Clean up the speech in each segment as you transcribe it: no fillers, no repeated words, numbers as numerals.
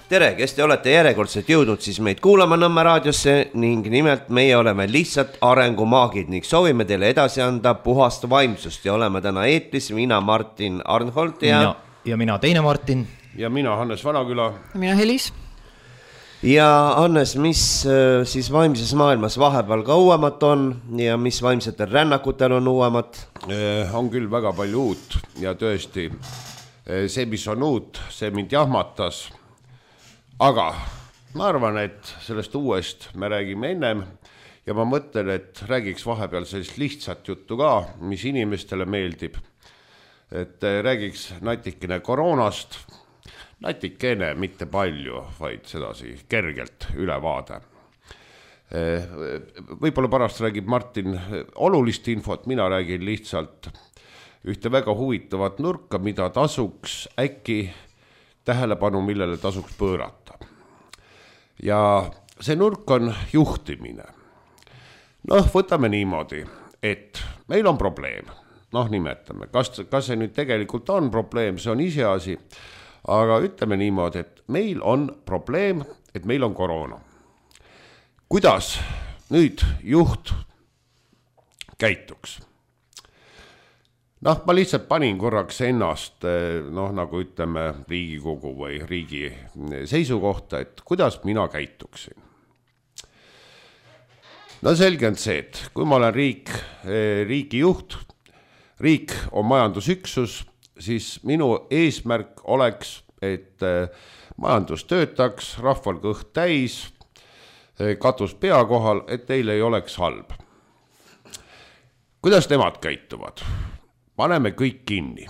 Tere, kes te olete järjekordselt jõudnud siis meid kuulama Nõmme raadiosse ning nimelt meie oleme lihtsalt arengumaagid ning soovime teile edasi anda puhast vaimsust ja oleme täna eetris mina Martin Arnholt ja mina teine Martin ja mina Hannes Vanaküla ja mina Helis. Ja Hannes, mis siis vaimses maailmas vahepeal ka uuemat on ja mis vaimsetel rännakutel on uuemat? On küll väga palju uut ja tõesti see, mis on uut, see mind jahmatas. Aga ma arvan, et sellest uuest me räägime ennem ja ma mõtlen, et räägiks vahepeal sellist lihtsat juttu ka, mis inimestele meeldib. Et räägiks natikene koroonast, natikene, mitte palju, vaid sedasi kergelt ülevaade. Võib-olla pärast räägib Martin olulist infot, mina räägin lihtsalt ühte väga huvitavat nurka, mida tasuks äkki tähelepanu, millele tasuks pöörata. Ja see nurk on juhtimine. Võtame niimoodi, et meil on probleem. Nimetame, kas see nüüd tegelikult on probleem, see on iseasi, aga ütleme niimoodi, et meil on probleem, et meil on koroona. Kuidas nüüd juht käituks? Ma lihtsalt panin korraks ennast, nagu ütleme, Riigikogu või riigi seisukohta, et kuidas mina käituksin. Selge on see, et kui ma olen riigi juht, riik on majandusüksus, siis minu eesmärk oleks, et majandus töötaks, rahval kõht täis, katus pea kohal, et teil ei oleks halb. Kuidas nemad käituvad? Paneme kõik kinni.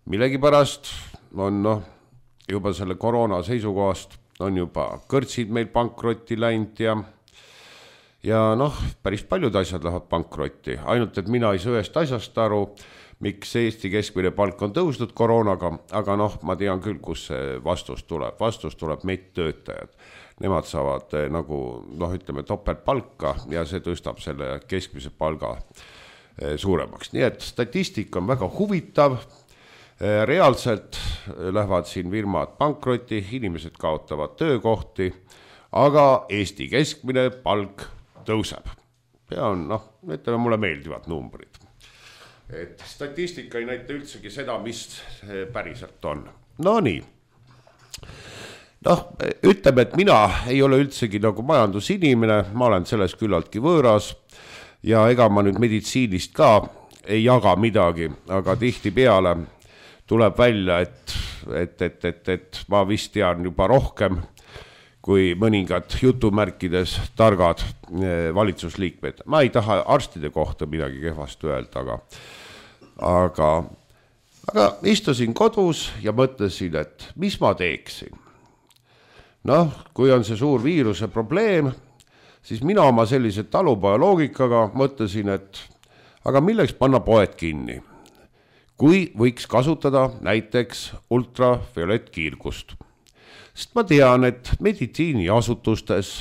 Millegipärast on juba selle koroona seisukohast on juba kõrtsid meil pankrotti läinud ja päris paljud asjad lähevad pankrotti. Ainult, et mina ei saa ühest asjast aru, miks Eesti keskmine palk on tõusnud koroonaga, aga ma tean küll, kus see vastus tuleb. Vastus tuleb medtöötajad. Nemad saavad ütleme topeltpalka ja see tõstab selle keskmise palga suuremaks. Nii et statistika on väga huvitav, reaalselt lähevad siin firmad pankrotti, inimesed kaotavad töökohti, aga Eesti keskmine palk tõuseb. Ja on, ütleme, mulle meeldivad numbrid. Et statistika ei näita üldsegi seda, mis päriselt on. Nii. Ütleme, et mina ei ole üldsegi nagu majandusinimene, ma olen selles küllaltki võõras, ja ega ma nüüd meditsiinist ka ei jaga midagi, aga tihti peale tuleb välja, et ma vist tean juba rohkem kui mõningad jutumärkides targad valitsusliikmed. Ma ei taha arstide kohta midagi kehvasti öelda, aga istusin kodus ja mõtlesin, et mis ma teeksin. Kui on see suur viiruse probleem, siis mina oma sellise talupoja loogikaga mõtlesin, et aga milleks panna poed kinni, kui võiks kasutada näiteks ultraviolettkiirgust. Sest ma tean, et meditsiiniasutustes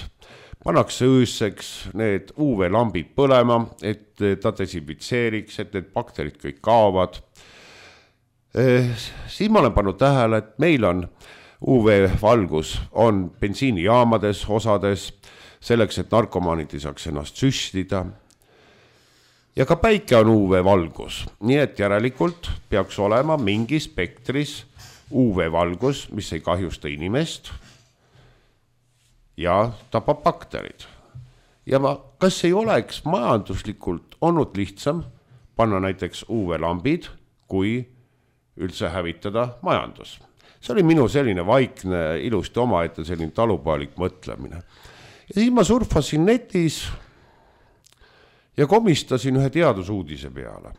pannakse ööseks need UV-lambid põlema, et ta desinfitseeriks, et need bakterid kõik kaovad. Siis ma olen pannud tähele, et meil on UV-valgus on bensiinijaamades osades, selleks, et narkomaanid ei saaks ennast süstida. Ja ka päike on UV-valgus, nii et järelikult peaks olema mingi spektris UV-valgus, mis ei kahjusta inimest ja tapab bakterid. Ja kas ei oleks majanduslikult olnud lihtsam panna näiteks UV-lambid, kui üldse hävitada majandus? See oli minu selline vaikne, ilusti omaette selline talupajalik mõtlemine. Ja siis ma surfasin netis ja komistasin ühe teadusuudise peale.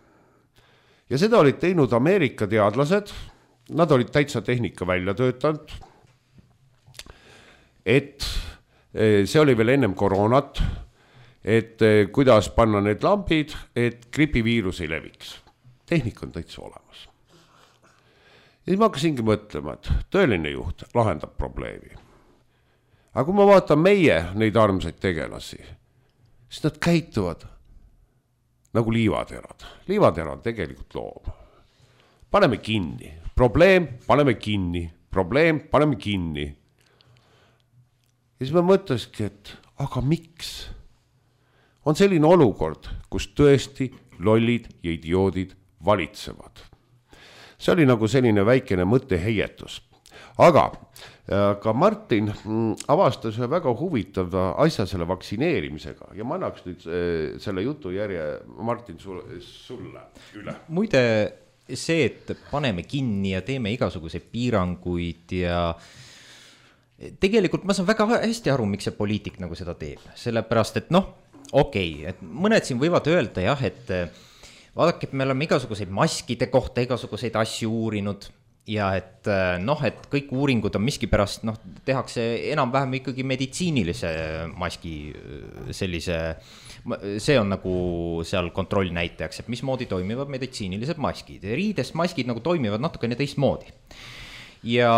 Ja seda olid teinud Ameerika teadlased, nad olid täitsa tehnika välja töötanud, et see oli veel ennem koroonat, et kuidas panna need lambid, et gripiviirus ei leviks. Tehnika on täitsa olemas. Ja siis ma hakkasingi mõtlema, et tõeline juht lahendab probleemi. Aga kui ma vaatan meie neid armsaid tegelasi, siis nad käituvad nagu liivaterad. Liivatera on tegelikult loom. Paneme kinni. Probleem, paneme kinni. probleem, paneme kinni. Ja siis ma mõtleski, et aga miks? On selline olukord, kus tõesti lollid ja idioodid valitsevad. See oli nagu selline väikene mõtteheietus. Aga Martin avastas ühe väga huvitava asja selle vaktsineerimisega ja ma annaks nüüd selle jutu järje, Martin, sulle üle. Muide, see, et paneme kinni ja teeme igasuguseid piiranguid ja tegelikult ma saan väga hästi aru, miks see poliitik nagu seda teeb. Sellepärast, et et mõned siin võivad öelda jah, et vaadake, et me oleme igasuguseid maskide kohta igasuguseid asju uurinud ja et et kõik uuringud on miskipärast, tehakse enam-vähem ikkagi meditsiinilise maski sellise, see on nagu seal kontrollnäitajaks, et mismoodi toimivad meditsiinilised maskid. Riidest maskid nagu toimivad natukene teistmoodi. Ja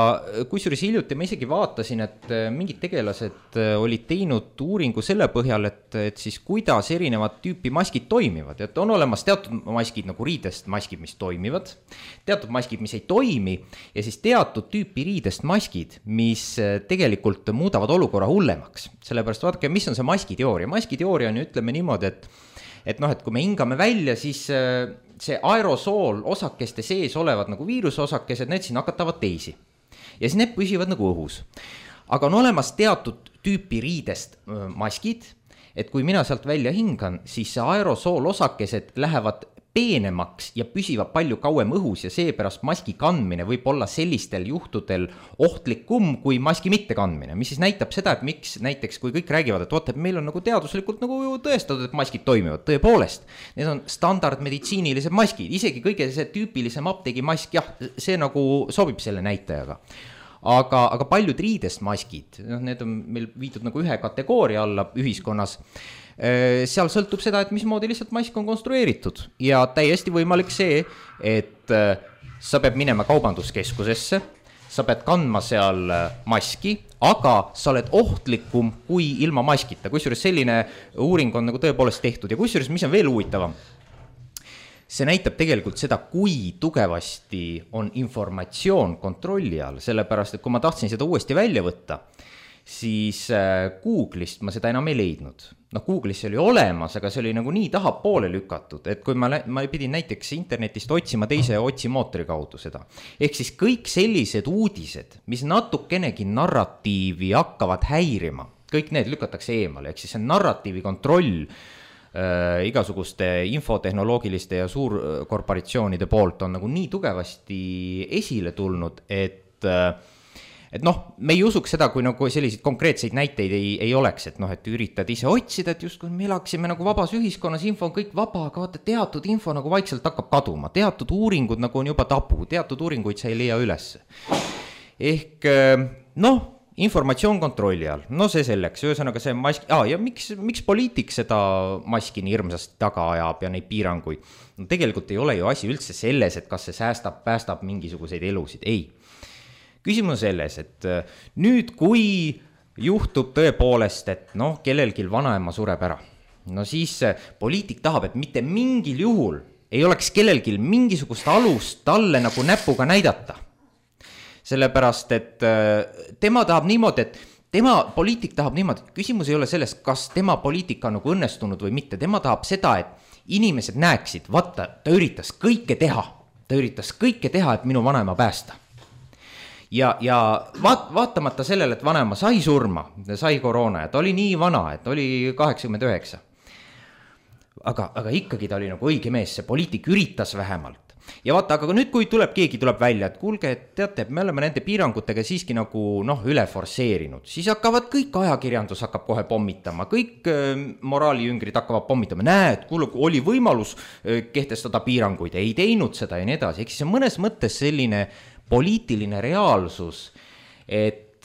kusjuures hiljuti ma isegi vaatasin, et mingid tegelased olid teinud uuringu selle põhjal, et siis kuidas erinevad tüüpi maskid toimivad. Et on olemas teatud maskid nagu riidest maskid, mis toimivad, teatud maskid, mis ei toimi ja siis teatud tüüpi riidest maskid, mis tegelikult muudavad olukorra hullemaks. Sellepärast vaadake, mis on see maskiteooria. Maskiteooria on ju, ütleme niimoodi, et kui me hingame välja, siis see aerosool osakeste sees olevad nagu viirusosakesed, need siin nakatavad teisi. Ja siis need püsivad nagu õhus. Aga on olemas teatud tüüpi riidest maskid, et kui mina sealt välja hingan, siis see aerosool osakesed lähevad peenemaks ja püsivad palju kauem õhus ja seepärast maski kandmine võib olla sellistel juhtudel ohtlikum kui maski mitte kandmine, mis siis näitab seda, et miks näiteks kui kõik räägivad, et vaata, et meil on nagu teaduslikult nagu tõestatud, et maskid toimivad, tõepoolest, need on standardmeditsiinilised maskid, isegi kõige see tüüpilisem apteegi mask, jah, see nagu sobib selle näitajaga. Aga paljud riidest maskid, need on meil viidud nagu ühe kategooria alla ühiskonnas, seal sõltub seda, et mismoodi lihtsalt mask on konstrueeritud ja täiesti võimalik see, et sa pead minema kaubanduskeskusesse, sa pead kandma seal maski, aga sa oled ohtlikum kui ilma maskita, kusjuures selline uuring on nagu tõepoolest tehtud ja kusjuures, mis on veel huvitavam, see näitab tegelikult seda, kui tugevasti on informatsioon kontrolli all, sellepärast, et kui ma tahtsin seda uuesti välja võtta, siis Google'ist ma seda enam ei leidnud. Google'is oli olemas, aga see oli nagu nii tahapoole lükatud, et kui ma pidin näiteks internetist otsima teise otsimootori kaudu seda. Ehk siis kõik sellised uudised, mis natukenegi narratiivi hakkavad häirima, kõik need lükatakse eemale, ehk siis see narratiivi kontroll igasuguste infotehnoloogiliste ja suurkorporatsioonide poolt on nagu nii tugevasti esile tulnud, et me ei usuks seda, kui nagu selliseid konkreetseid näiteid ei oleks, et üritad ise otsida, et just kui me elaksime nagu vabas ühiskonnas, info on kõik vaba, aga vaata teatud info nagu vaikselt hakkab kaduma, teatud uuringud nagu on juba tabu, teatud uuringuid sa ei leia üles. Ehk informatsioon kontrolli all, see selleks, ühesõnaga see mask, ja miks poliitik seda maski nii hirmsasti taga ajab ja neid piiranguid? Tegelikult ei ole ju asi üldse selles, et kas see päästab mingisuguseid elusid, ei. Küsimus on selles, et nüüd kui juhtub tõepoolest, et kellelgi vanaema sureb ära, siis poliitik tahab, et mitte mingil juhul ei oleks kellelgi mingisugust alust talle nagu näpuga näidata. Sellepärast, et tema tahab niimoodi, et poliitik tahab niimoodi, küsimus ei ole sellest, kas tema poliitika on nagu õnnestunud või mitte, tema tahab seda, et inimesed näeksid, vaata, ta üritas kõike teha, et minu vanaema päästa. Ja vaatamata sellele, et vanaema sai surma, sai koroona ja ta oli nii vana, et oli 89. Aga ikkagi ta oli nagu õige mees, see poliitik üritas vähemalt. Ja vaata, aga nüüd kui keegi tuleb välja, et kuulge, et teate, me oleme nende piirangutega siiski nagu üle forseerinud, siis hakkavad kõik ajakirjandus hakkab kohe pommitama, kõik moraalijüngrid hakkavad pommitama, näed, kuule, oli võimalus kehtestada piiranguid, ei teinud seda ja nii edasi, eks see on mõnes mõttes selline poliitiline reaalsus, et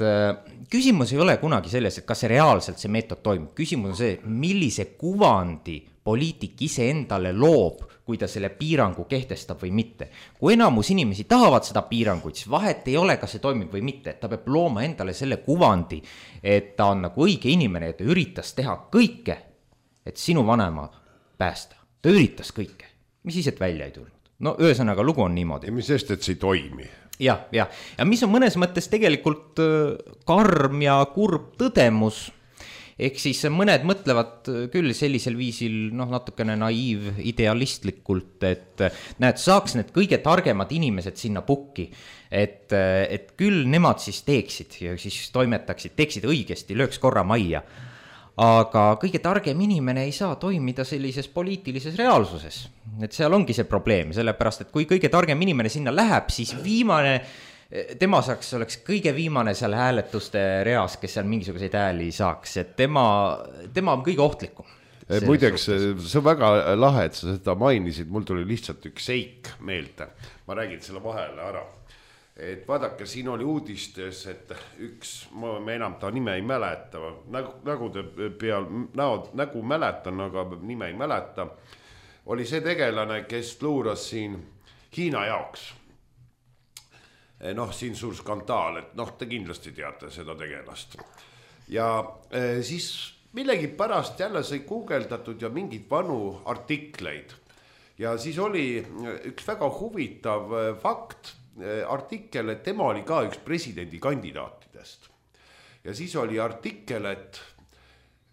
küsimus ei ole kunagi selles, et kas see reaalselt see meetod toimib. Küsimus on see, millise kuvandi poliitik ise endale loob, kui ta selle piirangu kehtestab või mitte. Kui enamus inimesi tahavad seda piiranguid, siis vahet ei ole, kas see toimib või mitte. Ta peab looma endale selle kuvandi, et ta on nagu õige inimene, et ta üritas teha kõike, et sinu vanema päästa. Ta üritas kõike, mis siis, et välja ei tulnud. Ühesõnaga lugu on niimoodi. Ja mis sest, et see ei toimi? ja mis on mõnes mõttes tegelikult karm ja kurb tõdemus, ehk siis mõned mõtlevad küll sellisel viisil natukene naiiv idealistlikult, et näed, saaks need kõige targemad inimesed sinna pukki, et küll nemad siis teeksid ja siis toimetaksid, teeksid õigesti, lööks korra majja. Aga kõige targem inimene ei saa toimida sellises poliitilises reaalsuses. Et seal ongi see probleem, sellepärast, et kui kõige targem inimene sinna läheb, siis tema oleks kõige viimane seal hääletuste reas, kes seal mingisuguseid hääli saaks, et tema on kõige ohtlikum. Muideks, see on väga lahe, et sa seda mainisid, mul tuli lihtsalt üks seik meelde, ma räägin selle vahele ära. Et vaadake, siin oli uudistes, et ma enam ta nime ei mäleta, nägude peal, nägu mäletan, aga nime ei mäleta, oli see tegelane, kes luuras siin Hiina jaoks. Siin suur skandaal, et te kindlasti teate seda tegelast. Ja siis millegi pärast jälle sai guugeldatud ja mingid vanu artikleid. Ja siis oli üks väga huvitav fakt, artikkel, et tema oli ka üks presidendi kandidaatidest. Ja siis oli artikkel, et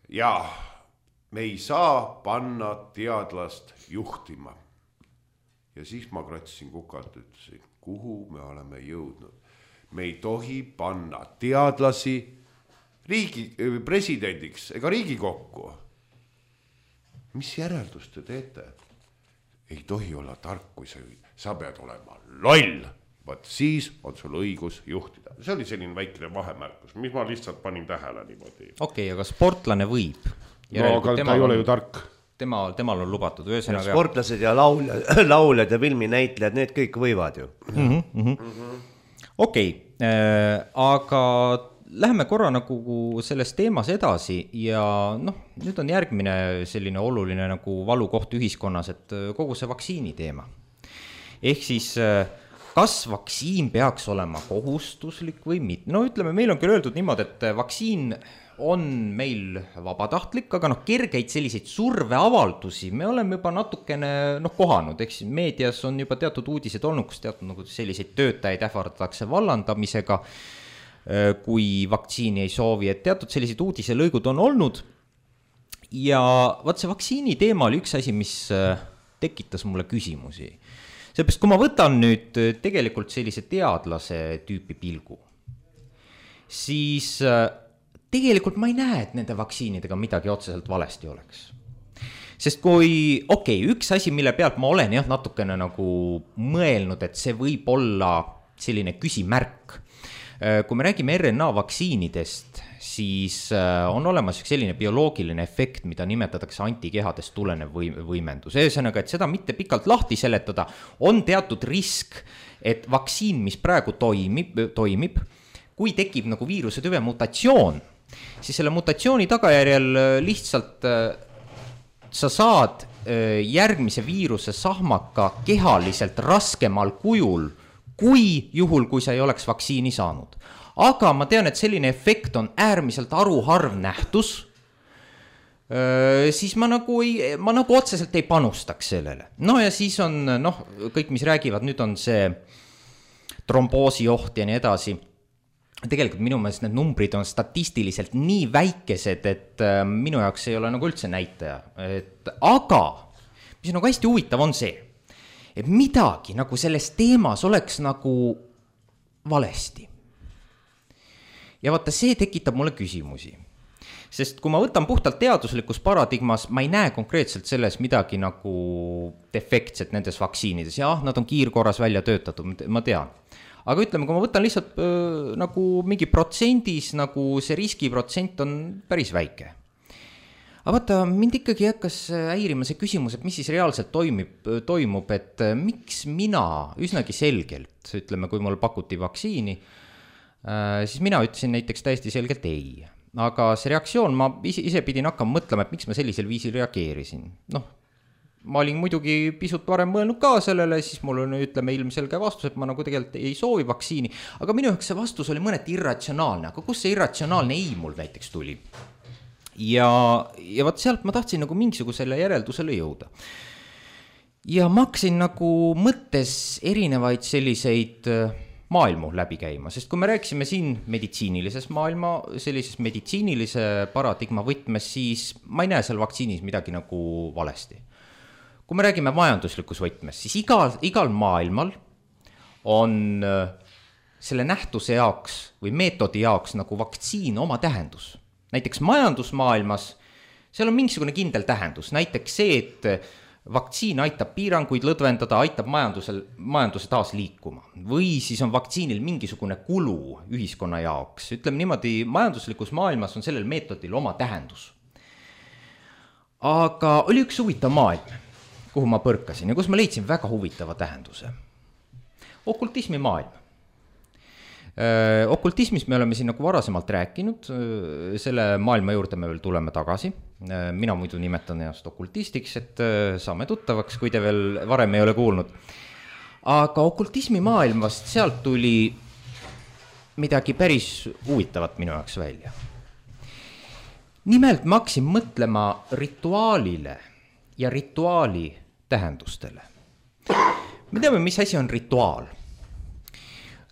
me ei saa panna teadlast juhtima. Ja siis ma kratsisin kukalt, ütlesin, kuhu me oleme jõudnud. Me ei tohi panna teadlasi presidendiks ega Riigikokku. Mis järeldust te teete? Ei tohi olla tark, kui sa pead olema loll. Vaat siis on sul õigus juhtida. See oli selline väikene vahemärkus, mis ma lihtsalt panin tähele niimoodi. Okei, aga sportlane võib. Aga ta ei ole ju tark. Temal on lubatud. Sportlased ja lauljad ja filminäitlejad, need kõik võivad ju. Okei, aga läheme korra nagu selles teemas edasi ja nüüd on järgmine selline oluline nagu valukoht ühiskonnas, et kogu see vaktsiini teema. Ehk siis kas vaktsiin peaks olema kohustuslik või mitte? Ütleme, meil on küll öeldud niimoodi, et vaktsiin on meil vabatahtlik, aga kergeid selliseid surveavaldusi me oleme juba natukene kohanud, eks meedias on juba teatud uudised olnud, kus teatud nagu selliseid töötajaid ähvardatakse vallandamisega, kui vaktsiini ei soovi, et teatud sellised uudiselõigud on olnud. Ja vaat see vaktsiini teema oli üks asi, mis tekitas mulle küsimusi. Seepärast, kui ma võtan nüüd tegelikult sellise teadlase tüüpi pilgu, siis tegelikult ma ei näe, et nende vaktsiinidega midagi otseselt valesti oleks. Sest kui, üks asi, mille pealt ma olen natukene nagu mõelnud, et see võib olla selline küsimärk. Kui me räägime RNA vaktsiinidest, siis on olemas selline bioloogiline efekt, mida nimetatakse antikehadest tulenev võimendus. Ühesõnaga, et seda mitte pikalt lahti seletada, on teatud risk, et vaktsiin, mis praegu toimib, kui tekib nagu viiruse tüve mutatsioon, siis selle mutatsiooni tagajärjel lihtsalt sa saad järgmise viiruse sahmaka kehaliselt raskemal kujul, kui juhul, kui sa ei oleks vaktsiini saanud. Aga ma tean, et selline efekt on äärmiselt haruharv nähtus, siis ma nagu otseselt ei panustaks sellele. Ja siis on, kõik, mis räägivad, nüüd on see tromboosioht ja nii edasi. Tegelikult minu meelest need numbrid on statistiliselt nii väikesed, et minu jaoks ei ole nagu üldse näitaja. Aga, mis on nagu hästi huvitav, on see, et midagi nagu selles teemas oleks nagu valesti. Ja vaata, see tekitab mulle küsimusi. Sest kui ma võtan puhtalt teaduslikus paradigmas, ma ei näe konkreetselt selles midagi nagu defektset nendes vaktsiinides. Nad on kiirkorras välja töötatud, ma tean. Aga ütleme, kui ma võtan lihtsalt nagu mingi protsendis, nagu see riskiprotsent on päris väike. Aga vaata, mind ikkagi hakkas häirima see küsimus, et mis siis reaalselt toimub, et miks mina üsnagi selgelt, ütleme, kui mul pakuti vaktsiini, siis mina ütlesin näiteks täiesti selgelt ei. Aga see reaktsioon, ma ise pidin hakkama mõtlema, et miks ma sellisel viisil reageerisin. Ma olin muidugi pisut varem mõelnud ka sellele, siis mul on, ütleme, ilmselge vastus, et ma nagu tegelikult ei soovi vaktsiini. Aga minu jaoks see vastus oli mõneti irratsionaalne, aga kus see irratsionaalne ei mul näiteks tuli? Ja vaat sealt ma tahtsin nagu mingisugusele järeldusele jõuda. Ja ma hakkasin nagu mõttes erinevaid selliseid maailmu läbi käima, sest kui me rääkisime siin meditsiinilises maailma, sellises meditsiinilise paradigma võtmes, siis ma ei näe seal vaktsiinis midagi nagu valesti. Kui me räägime majanduslikus võtmes, siis igal maailmal on selle nähtuse jaoks või meetodi jaoks nagu vaktsiin oma tähendus. Näiteks majandusmaailmas, seal on mingisugune kindel tähendus, näiteks see, et vaktsiin aitab piiranguid lõdvendada, aitab majanduse taas liikuma. Või siis on vaktsiinil mingisugune kulu ühiskonna jaoks. Ütleme niimoodi, majanduslikus maailmas on sellel meetodil oma tähendus. Aga oli üks huvitav maailm, kuhu ma põrkasin ja kus ma leidsin väga huvitava tähenduse. Okultismi maailm. Okultismis me oleme siin nagu varasemalt rääkinud, selle maailma juurde me veel tuleme tagasi. Mina muidu nimetan ennast okultistiks, et saame tuttavaks, kui te veel varem ei ole kuulnud. Aga okultismi maailmast sealt tuli midagi päris huvitavat minu jaoks välja. Nimelt ma hakkasin mõtlema rituaalile ja rituaali tähendustele. Me teame, mis asi on rituaal.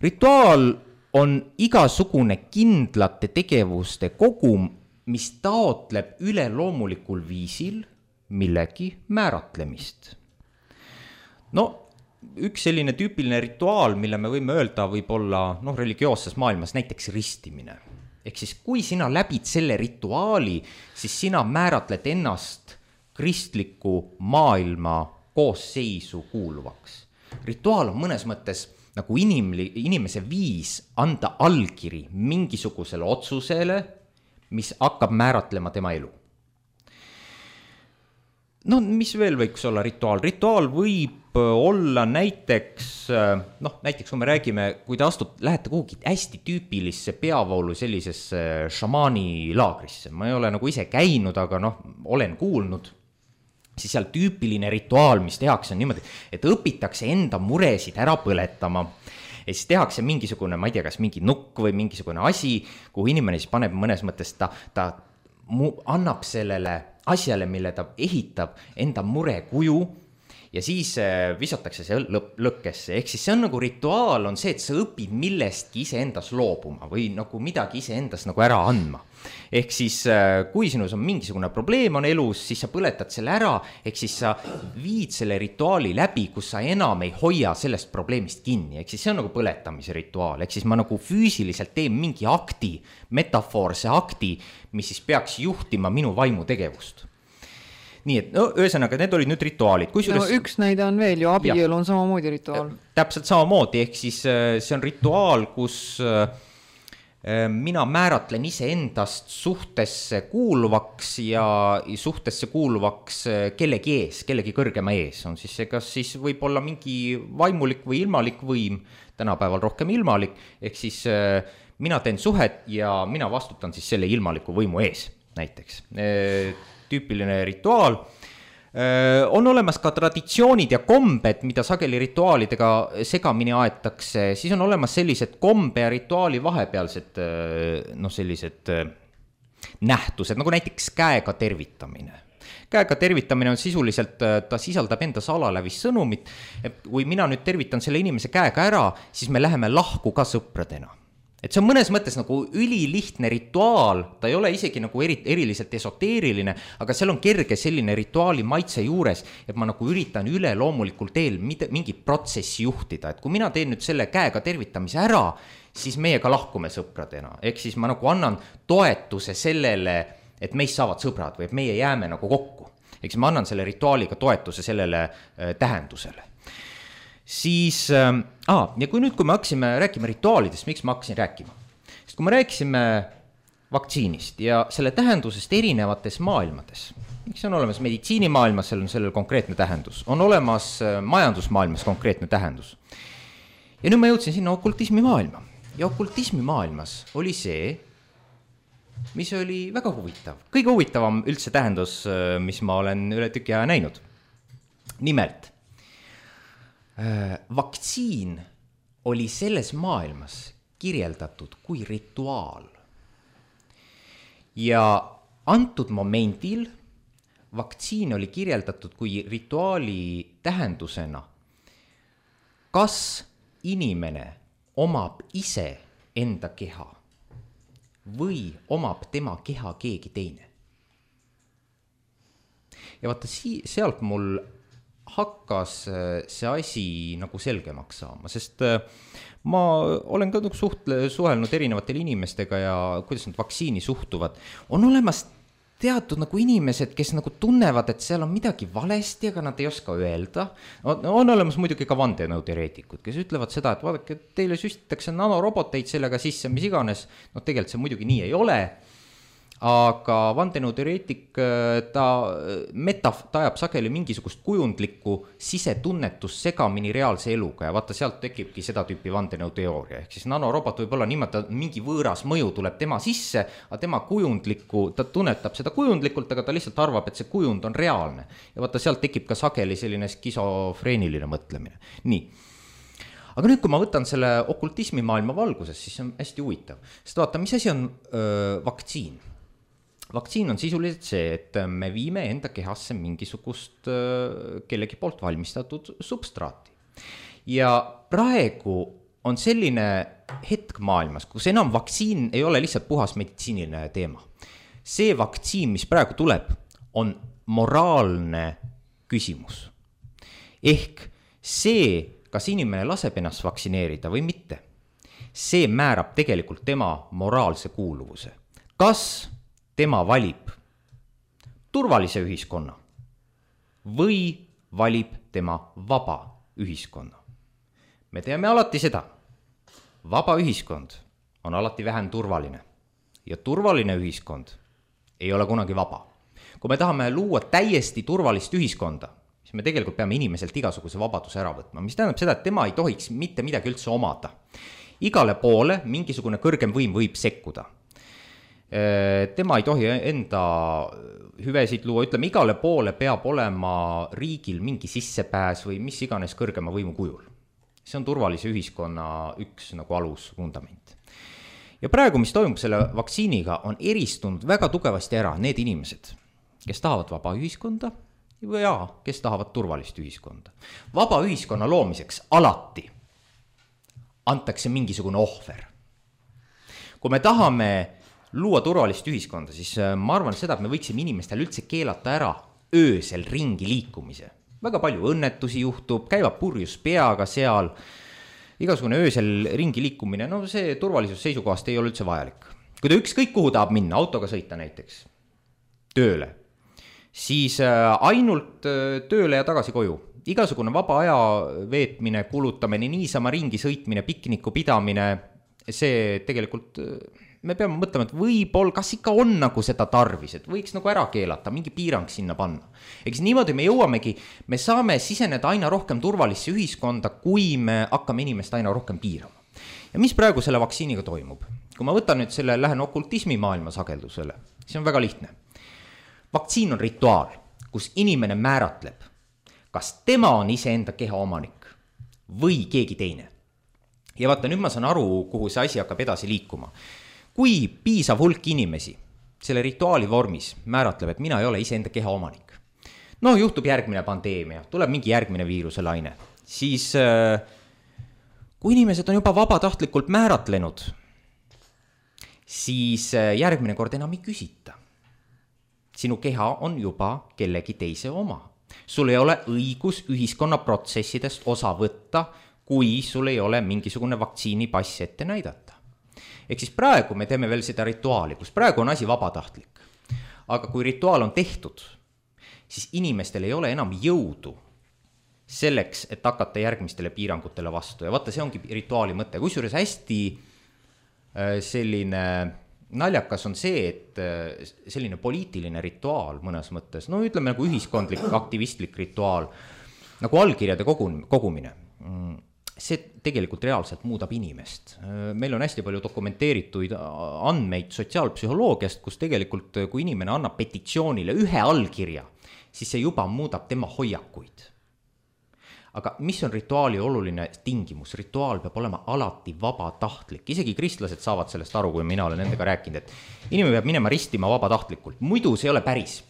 Rituaal on igasugune kindlate tegevuste kogum, mis taotleb üleloomulikul viisil millegi määratlemist. No, üks selline tüüpiline rituaal, mille me võime öelda võib olla religioosses maailmas näiteks ristimine. Ehk siis kui sina läbid selle rituaali, siis sina määratled ennast kristliku maailma koosseisu kuuluvaks. Rituaal on mõnes mõttes nagu inimese viis anda allkiri mingisugusele otsusele, mis hakkab määratlema tema elu. No mis veel võiks olla rituaal? Rituaal võib olla näiteks kui me räägime, kui te lähete kuhugi hästi tüüpilisse peavoolu sellisesse šamaani laagrisse. Ma ei ole nagu ise käinud, aga olen kuulnud. Siis seal tüüpiline rituaal, mis tehakse on niimoodi, et õpitakse enda muresid ära põletama. Ja siis tehakse mingisugune, ma ei tea, kas mingi nukk või mingisugune asi, kuhu inimene siis paneb mõnes mõttes, ta annab sellele asjale, mille ta ehitab enda mure kuju ja siis visatakse see lõkkesse. Ehk siis see on nagu rituaal on see, et sa õpid millestki iseendas loobuma või nagu midagi iseendas nagu ära andma. Ehk siis kui sinus on mingisugune probleem on elus, siis sa põletad selle ära, ehk siis sa viid selle rituaali läbi, kus sa enam ei hoia sellest probleemist kinni. Ehk siis see on nagu põletamise rituaal, ehk siis ma nagu füüsiliselt teen mingi akti, metafoorse akti, mis siis peaks juhtima minu vaimutegevust. Nii et ühesõnaga, need olid nüüd rituaalid. Üks näide on veel ju, abielu on samamoodi rituaal. Täpselt samamoodi, ehk siis see on rituaal, kus mina määratlen iseendast suhtesse kuuluvaks ja suhtesse kuuluvaks kellegi ees, kellegi kõrgema ees. On siis see, kas siis võib olla mingi vaimulik või ilmalik võim, tänapäeval rohkem ilmalik, ehk siis mina teen suhet ja mina vastutan siis selle ilmaliku võimu ees näiteks. Tüüpiline rituaal. On olemas ka traditsioonid ja kombed, mida sageli rituaalidega segamini aetakse, siis on olemas sellised kombe ja rituaali vahepealsed sellised nähtused, nagu näiteks käega tervitamine. Käega tervitamine on sisuliselt, ta sisaldab endas alalävis sõnumit, et kui mina nüüd tervitan selle inimese käega ära, siis me läheme lahku ka sõpradena. Et see on mõnes mõttes nagu ülilihtne rituaal, ta ei ole isegi nagu eriliselt esoteeriline, aga seal on kerge selline rituaali maitse juures, et ma nagu üritan üleloomulikul teel mingit protsessi juhtida, et kui mina teen nüüd selle käega tervitamise ära, siis meiega lahkume sõpradena, ehk siis ma nagu annan toetuse sellele, et meist saavad sõbrad või et meie jääme nagu kokku, ehk siis ma annan selle rituaaliga toetuse sellele tähendusele. Siis, ja kui me hakkasime rääkima rituaalidest, miks ma hakkasin rääkima? Sest kui me rääkisime vaktsiinist ja selle tähendusest erinevates maailmades, miks on olemas meditsiinimaailmas, seal on sellel konkreetne tähendus, on olemas majandusmaailmas konkreetne tähendus. Ja nüüd ma jõudsin sinna okultismi maailma. Ja okultismi maailmas oli see, mis oli väga huvitav. Kõige huvitavam üldse tähendus, mis ma olen üle tüki aja näinud. Nimelt, vaktsiin oli selles maailmas kirjeldatud kui rituaal. Ja antud momendil vaktsiin oli kirjeldatud kui rituaali tähendusena. Kas inimene omab ise enda keha või omab tema keha keegi teine. Ja vaata, sealt mul hakkas see asi nagu selgemaks saama, sest ma olen ka suhelnud erinevatele inimestega ja kuidas nad vaktsiini suhtuvad. On olemas teatud nagu inimesed, kes nagu tunnevad, et seal on midagi valesti, aga nad ei oska öelda. On olemas muidugi ka vandenõuteoreetikud, kes ütlevad seda, et vaadake, teile süstitakse nanoroboteid sellega sisse, mis iganes. No tegelikult see muidugi nii ei ole. Aga vandenõuteoreetik, ta ajab sageli mingisugust kujundlikku sisetunnetust segamini reaalse eluga ja vaata, sealt tekibki seda tüüpi vandenõuteooria. Ehk siis nanorobot võib olla niimoodi, mingi võõras mõju tuleb tema sisse, aga tema kujundlikku, ta tunnetab seda kujundlikult, aga ta lihtsalt arvab, et see kujund on reaalne. Ja vaata, sealt tekib ka sageli selline skisofreeniline mõtlemine. Nii. Aga nüüd, kui ma võtan selle okultismi maailma valguses, siis see on hästi huvitav. Sest vaata, mis asi on vaktsiin? Vaktsiin on sisuliselt see, et me viime enda kehasse mingisugust kellegi poolt valmistatud substraati. Ja praegu on selline hetk maailmas, kus enam vaktsiin ei ole lihtsalt puhas meditsiiniline teema. See vaktsiin, mis praegu tuleb, on moraalne küsimus. Ehk see, kas inimene laseb ennast vaktsineerida või mitte, see määrab tegelikult tema moraalse kuuluvuse. Kas tema valib turvalise ühiskonna või valib tema vaba ühiskonna. Me teame alati seda. Vaba ühiskond on alati vähem turvaline ja turvaline ühiskond ei ole kunagi vaba. Kui me tahame luua täiesti turvalist ühiskonda, siis me tegelikult peame inimeselt igasuguse vabaduse ära võtma, mis tähendab seda, et tema ei tohiks mitte midagi üldse omada. Igale poole mingisugune kõrgem võim võib sekkuda. Tema ei tohi enda hüvesid luua, ütleme, igale poole peab olema riigil mingi sissepääs või mis iganes kõrgema võimu kujul. See on turvalise ühiskonna üks nagu alusvundament. Ja praegu, mis toimub selle vaktsiiniga, on eristunud väga tugevasti ära need inimesed, kes tahavad vaba ühiskonda ja kes tahavad turvalist ühiskonda. Vaba ühiskonna loomiseks alati antakse mingisugune ohver. Kui me tahame luua turvalist ühiskonda, siis ma arvan seda, et me võiksime inimestel üldse keelata ära öösel ringi liikumise. Väga palju õnnetusi juhtub, käivad purjus peaga seal, igasugune öösel ringi liikumine, no see turvalisus seisukohast ei ole üldse vajalik. Kui ta ükskõik kuhu tahab minna, autoga sõita näiteks, tööle, siis ainult tööle ja tagasi koju. Igasugune vaba aja veetmine, kulutamine, niisama ringi sõitmine, pikniku pidamine, see tegelikult me peame mõtlema, et võib-olla, kas ikka on nagu seda tarvis, et võiks nagu ära keelata, mingi piirang sinna panna. Eks niimoodi me jõuamegi, me saame siseneda aina rohkem turvalisse ühiskonda, kui me hakkame inimest aina rohkem piirama. Ja mis praegu selle vaktsiiniga toimub? Kui ma võtan nüüd selle, lähen okultismi maailma sageldusele, see on väga lihtne. Vaktsiin on rituaal, kus inimene määratleb, kas tema on iseenda keha omanik või keegi teine. Ja vaata, nüüd ma saan aru, kuhu see asi hakkab edasi liikuma. Kui piisav hulk inimesi selle rituaali vormis määratleb, et mina ei ole iseenda keha omanik. No juhtub järgmine pandeemia, tuleb mingi järgmine viiruse laine. Siis kui inimesed on juba vabatahtlikult määratlenud, siis järgmine kord enam ei küsita. Sinu keha on juba kellegi teise oma. Sul ei ole õigus ühiskonna protsessidest osa võtta, kui sul ei ole mingisugune vaktsiinipass ette näidata. Ehk siis praegu me teeme veel seda rituaali, kus praegu on asi vabatahtlik. Aga kui rituaal on tehtud, siis inimestel ei ole enam jõudu selleks, et hakata järgmistele piirangutele vastu. Ja vaata, see ongi rituaali mõte. Kusjuures hästi selline naljakas on see, et selline poliitiline rituaal mõnes mõttes, no ütleme nagu ühiskondlik, aktivistlik rituaal, nagu allkirjade kogumine. See tegelikult reaalselt muudab inimest. Meil on hästi palju dokumenteerituid andmeid sotsiaalpsühholoogiast, kus tegelikult, kui inimene annab petitsioonile ühe allkirja, siis see juba muudab tema hoiakuid. Aga mis on rituaali oluline tingimus? Rituaal peab olema alati vabatahtlik. Isegi kristlased saavad sellest aru, kui mina olen nendega rääkinud, et inimene peab minema ristima vabatahtlikult. Muidu see ei ole päris.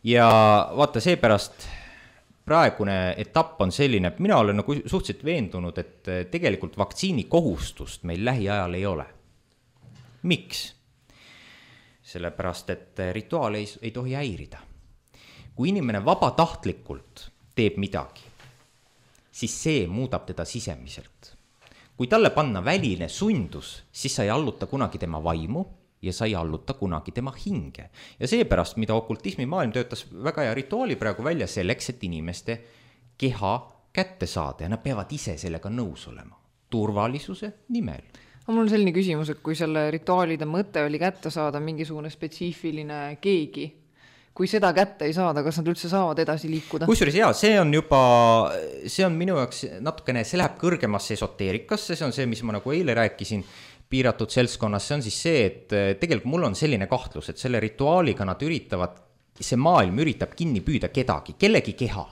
Ja vaata, seepärast praegune etapp on selline, et mina olen nagu suhteliselt veendunud, et tegelikult vaktsiini kohustust meil lähiajal ei ole. Miks? Sellepärast, et rituaal ei tohi häirida. Kui inimene vabatahtlikult teeb midagi, siis see muudab teda sisemiselt. Kui talle panna väline sundus, siis sa ei alluta kunagi tema vaimu ja sa ei alluta kunagi tema hinge. Ja seepärast, mida okultismi maailm töötas väga hea rituaali praegu välja selleks, et inimeste keha kätte saada ja nad peavad ise sellega nõus olema. Turvalisuse nimel. Mul on selline küsimus, et kui selle rituaalide mõte oli kätte saada mingisugune spetsiifiline keegi, kui seda kätte ei saada, kas nad üldse saavad edasi liikuda? Kusjuures see on minu jaoks natukene, see läheb kõrgemasse esoteerikasse, see on see, mis ma nagu eile rääkisin, piiratud seltskonnas, see on siis see, et tegelikult mul on selline kahtlus, et selle rituaaliga nad see maailm üritab kinni püüda kedagi, kellegi keha.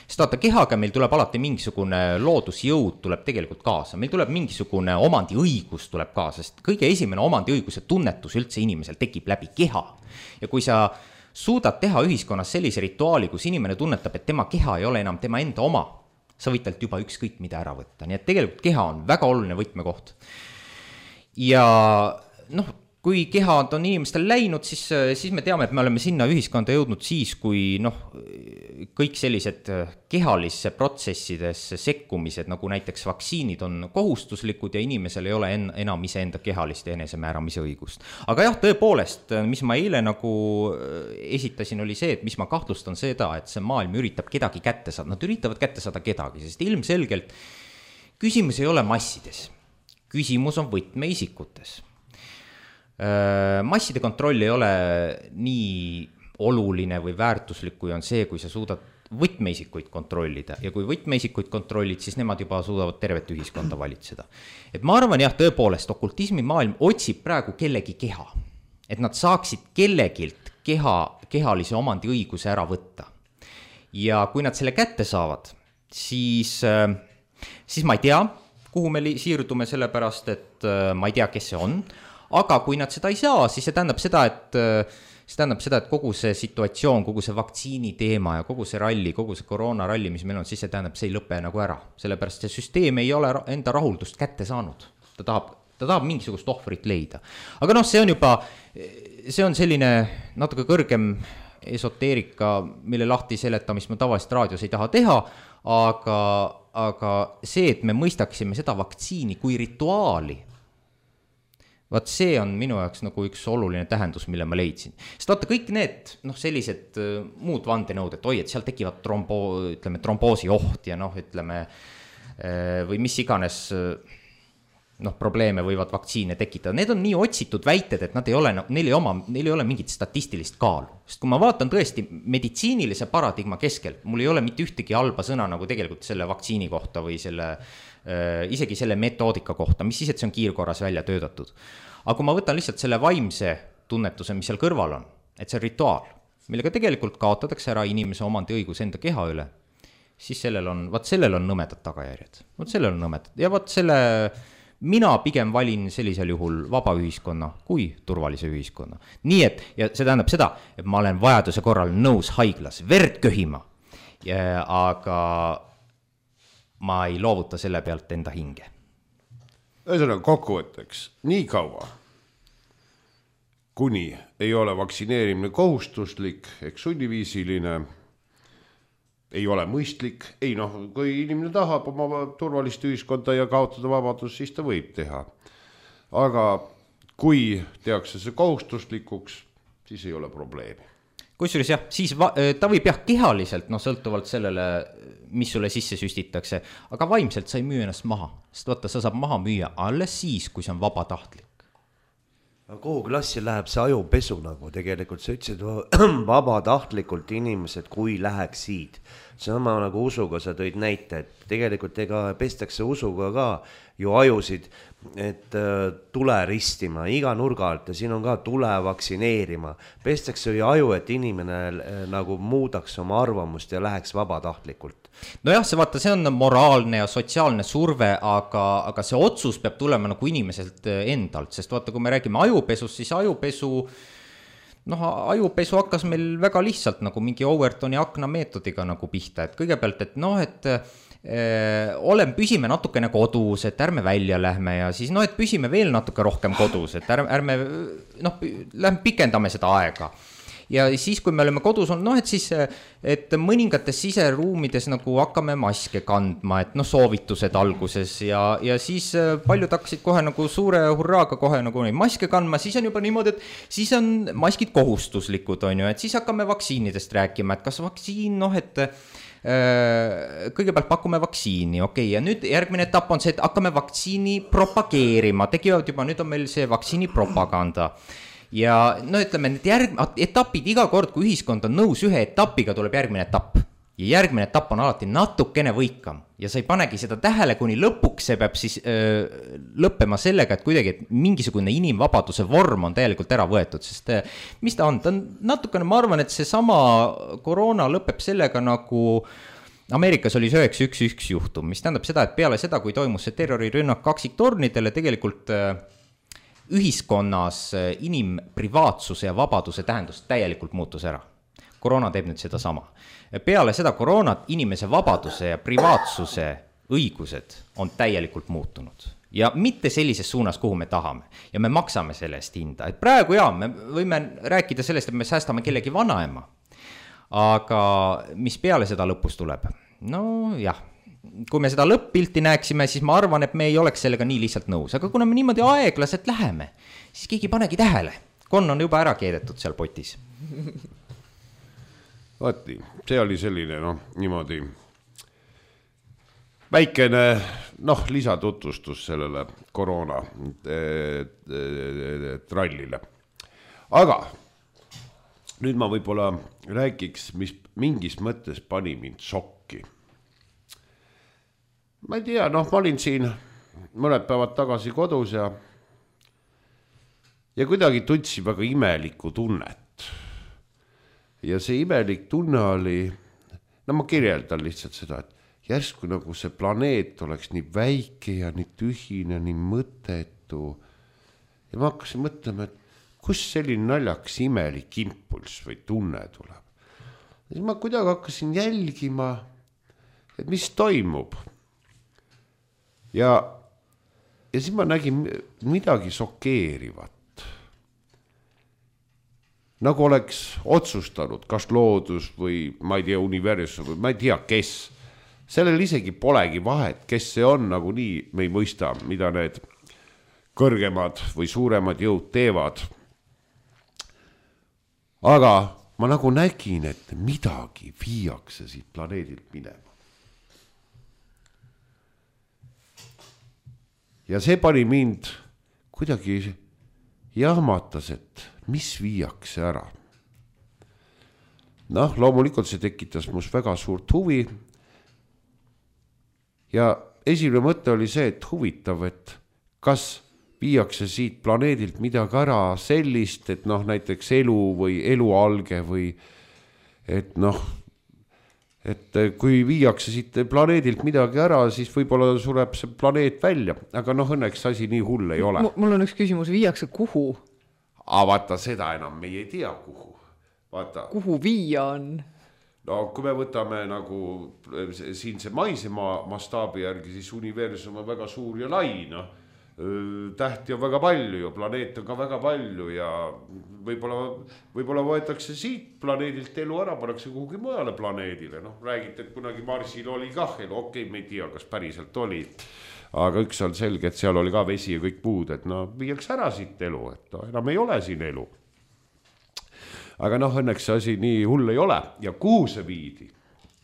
Sest vaata, kehaga meil tuleb alati mingisugune loodusjõud tuleb tegelikult kaasa, meil tuleb mingisugune omandiõigus tuleb kaasa, sest kõige esimene omandiõiguse tunnetus üldse inimesel tekib läbi keha. Ja kui sa suudad teha ühiskonnas sellise rituaali, kus inimene tunnetab, et tema keha ei ole enam tema enda oma, sa võid talt juba ükskõik mida ära võtta. Nii et tegelikult keha on väga oluline võtmekoht. Ja kui kehad on inimestel läinud, siis me teame, et me oleme sinna ühiskonda jõudnud siis, kui kõik sellised kehalisse protsessidesse sekkumised, nagu näiteks vaktsiinid on kohustuslikud ja inimesel ei ole enam iseenda kehalist ja enesemääramise õigust. Aga jah, tõepoolest, mis ma eile nagu esitasin, oli see, et mis ma kahtlustan seda, et see maailm üritab kedagi kätte saada. Nad üritavad kätte saada kedagi, sest ilmselgelt küsimus ei ole massides. Küsimus on võtmeisikutes. Masside kontroll ei ole nii oluline või väärtuslik, kui on see, kui sa suudad võtmeisikuid kontrollida. Ja kui võtmeisikuid kontrollid, siis nemad juba suudavad tervet ühiskonda valitseda. Et ma arvan jah, tõepoolest, okultismi maailm otsib praegu kellegi keha. Et nad saaksid kellegilt kehalise omandi õiguse ära võtta. Ja kui nad selle kätte saavad, siis ma ei tea, kuhu me siirdume sellepärast, et ma ei tea, kes see on, aga kui nad seda ei saa, siis see tähendab seda, et kogu see situatsioon, kogu see vaktsiini teema ja kogu see ralli, kogu see koroonaralli, mis meil on, siis see tähendab, see ei lõpe nagu ära. Sellepärast see süsteem ei ole enda rahuldust kätte saanud. Ta tahab mingisugust ohvrit leida. Aga see on selline natuke kõrgem esoteerika, mille lahti seletamist ma tavaliselt raadios ei taha teha, aga see, et me mõistaksime seda vaktsiini kui rituaali, vaat see on minu jaoks nagu üks oluline tähendus, mille ma leidsin. Sest vaata kõik need sellised muud vandenõud, et et seal tekivad tromboosi oht ja või mis iganes probleeme võivad vaktsiine tekitada. Need on nii otsitud väited, et neil ei ole mingit statistilist kaalu. Sest kui ma vaatan tõesti meditsiinilise paradigma keskel, mul ei ole mitte ühtegi halba sõna nagu tegelikult selle vaktsiini kohta või isegi selle metoodika kohta, mis siis, et see on kiirkorras välja töötatud. Aga kui ma võtan lihtsalt selle vaimse tunnetuse, mis seal kõrval on, et see rituaal, millega tegelikult kaotatakse ära inimese omandi õigus enda keha üle, siis sellel on nõmedad tagajärjed. Sellel on nõmedad. Ja mina pigem valin sellisel juhul vaba ühiskonna kui turvalise ühiskonna. Nii et, ja see tähendab seda, et ma olen vajaduse korral nõus haiglas verd köhima, aga ma ei loovuta selle pealt enda hinge. Ühesõnaga kokkuvõtteks, nii kaua, kuni ei ole vaktsineerimine kohustuslik, ehk sunniviisiline, ei ole mõistlik, kui inimene tahab oma turvalist ühiskonda ja kaotada vabadus, siis ta võib teha. Aga kui tehakse see kohustuslikuks, siis ei ole probleemi. Kusjuures jah, siis ta võib kehaliselt, sõltuvalt sellele, mis sulle sisse süstitakse, aga vaimselt sa ei müü ennast maha. Sest vaata, sa saab maha müüa alles siis, kui see on vabatahtlik. Kuhu klassi läheb see ajupesu nagu tegelikult, sa ütlesid vabatahtlikult inimesed, kui läheksid. Sama nagu usuga sa tõid näite, et tegelikult pestakse usuga ka ju ajusid, et tule ristima iga nurga alt ja siin on ka tule vaktsineerima. Pestakse ju aju, et inimene nagu muudaks oma arvamust ja läheks vabatahtlikult. Nojah, see on moraalne ja sotsiaalne surve, aga see otsus peab tulema nagu inimeselt endalt, sest vaata, kui me räägime ajupesust, siis ajupesu noh, ajupesu hakkas meil väga lihtsalt nagu mingi Overtoni akna meetodiga nagu pihta, et kõigepealt, et noh, et püsime natukene kodus, et ärme välja lähme ja siis noh, et püsime veel natuke rohkem kodus, et ärme noh, lähme pikendame seda aega. Ja siis, kui me oleme kodus olnud, noh, et siis, et mõningates siseruumides nagu hakkame maske kandma, et noh, soovitused alguses ja siis paljud hakkasid kohe nagu suure hurraaga kohe nagu neid maske kandma, siis on juba niimoodi, et siis on maskid kohustuslikud, on ju, et siis hakkame vaktsiinidest rääkima, et kas vaktsiin, noh, et kõigepealt pakume vaktsiini, okei, ja nüüd järgmine etapp on see, et hakkame vaktsiini propageerima, tegivad juba, nüüd on meil see vaktsiini propaganda. Ja no ütleme, need etapid iga kord, kui ühiskond on nõus ühe etapiga, tuleb järgmine etapp. Ja järgmine etapp on alati natukene võikam. Ja sa ei panegi seda tähele, kuni lõpuks see peab siis lõppema sellega, et kuidagi et mingisugune inimvabaduse vorm on täielikult ära võetud. Sest mis ta on? Ta on natukene, ma arvan, et see sama koroona lõpeb sellega nagu Ameerikas oli 911 juhtum, mis tähendab seda, et peale seda, kui toimus see terrorirünnak kaksiktornidele, tegelikult ühiskonnas inimprivaatsuse ja vabaduse tähendus täielikult muutus ära. Koroona teeb nüüd seda sama. Peale seda koroonat inimese vabaduse ja privaatsuse õigused on täielikult muutunud. Ja mitte sellises suunas, kuhu me tahame. Ja me maksame selle eest hinda. Et praegu me võime rääkida sellest, et me säästame kellegi vanaema. Aga mis peale seda lõpus tuleb? No jah. Kui me seda lõpp-pilti näeksime, siis ma arvan, et me ei oleks sellega nii lihtsalt nõus. Aga kuna me niimoodi aeglaselt läheme, siis keegi panegi tähele. Konn on juba ära keedetud seal potis. Vaati, see oli selline, niimoodi väikene, lisatutvustus sellele koroona trallile. Aga nüüd ma võib-olla räägiks, mis mingis mõttes pani mind šokki. Ma ei tea, ma olin siin mõned päevad tagasi kodus ja kuidagi tundsin väga imelikku tunnet. Ja see imelik tunne oli, ma kirjeldan lihtsalt seda, et järsku nagu see planeet oleks nii väike ja nii tühine, nii mõttetu. Ja ma hakkasin mõtlema, et kus selline naljaks imelik impulss või tunne tuleb. Ja siis ma kuidagi hakkasin jälgima, et mis toimub. Ja siis ma nägin midagi šokeerivat. Nagu oleks otsustanud, kas loodus või ma ei tea, universum või ma ei tea, kes. Sellel isegi polegi vahet, kes see on, nagu nii me ei mõista, mida need kõrgemad või suuremad jõud teevad. Aga ma nagu nägin, et midagi viiakse siit planeedilt minema. Ja see pani mind kuidagi jahmatas, et mis viiakse ära. Loomulikult see tekitas must väga suurt huvi. Ja esimene mõte oli see, et huvitav, et kas viiakse siit planeedilt midagi ära sellist, et näiteks elu või elualge või et kui viiakse siit planeedilt midagi ära, siis võib-olla sureb see planeet välja, aga õnneks asi nii hull ei ole. Mul on üks küsimus, viiakse kuhu? Vaata, seda enam me ei tea kuhu. Vaata. Kuhu viia on? Kui me võtame nagu siin see maisema mastaabi järgi, siis universum on väga suur ja lai, tähti on väga palju ja planeet on ka väga palju ja võib-olla võetakse siit planeedilt elu ära, pannakse kuhugi mujale planeedile. Räägite, et kunagi Marsil oli kah elu, okei, me ei tea, kas päriselt oli. Aga üks on selge, et seal oli ka vesi ja kõik muud, et viiaks ära siit elu, et enam ei ole siin elu. Aga õnneks see asi nii hull ei ole ja kuhu see viidi,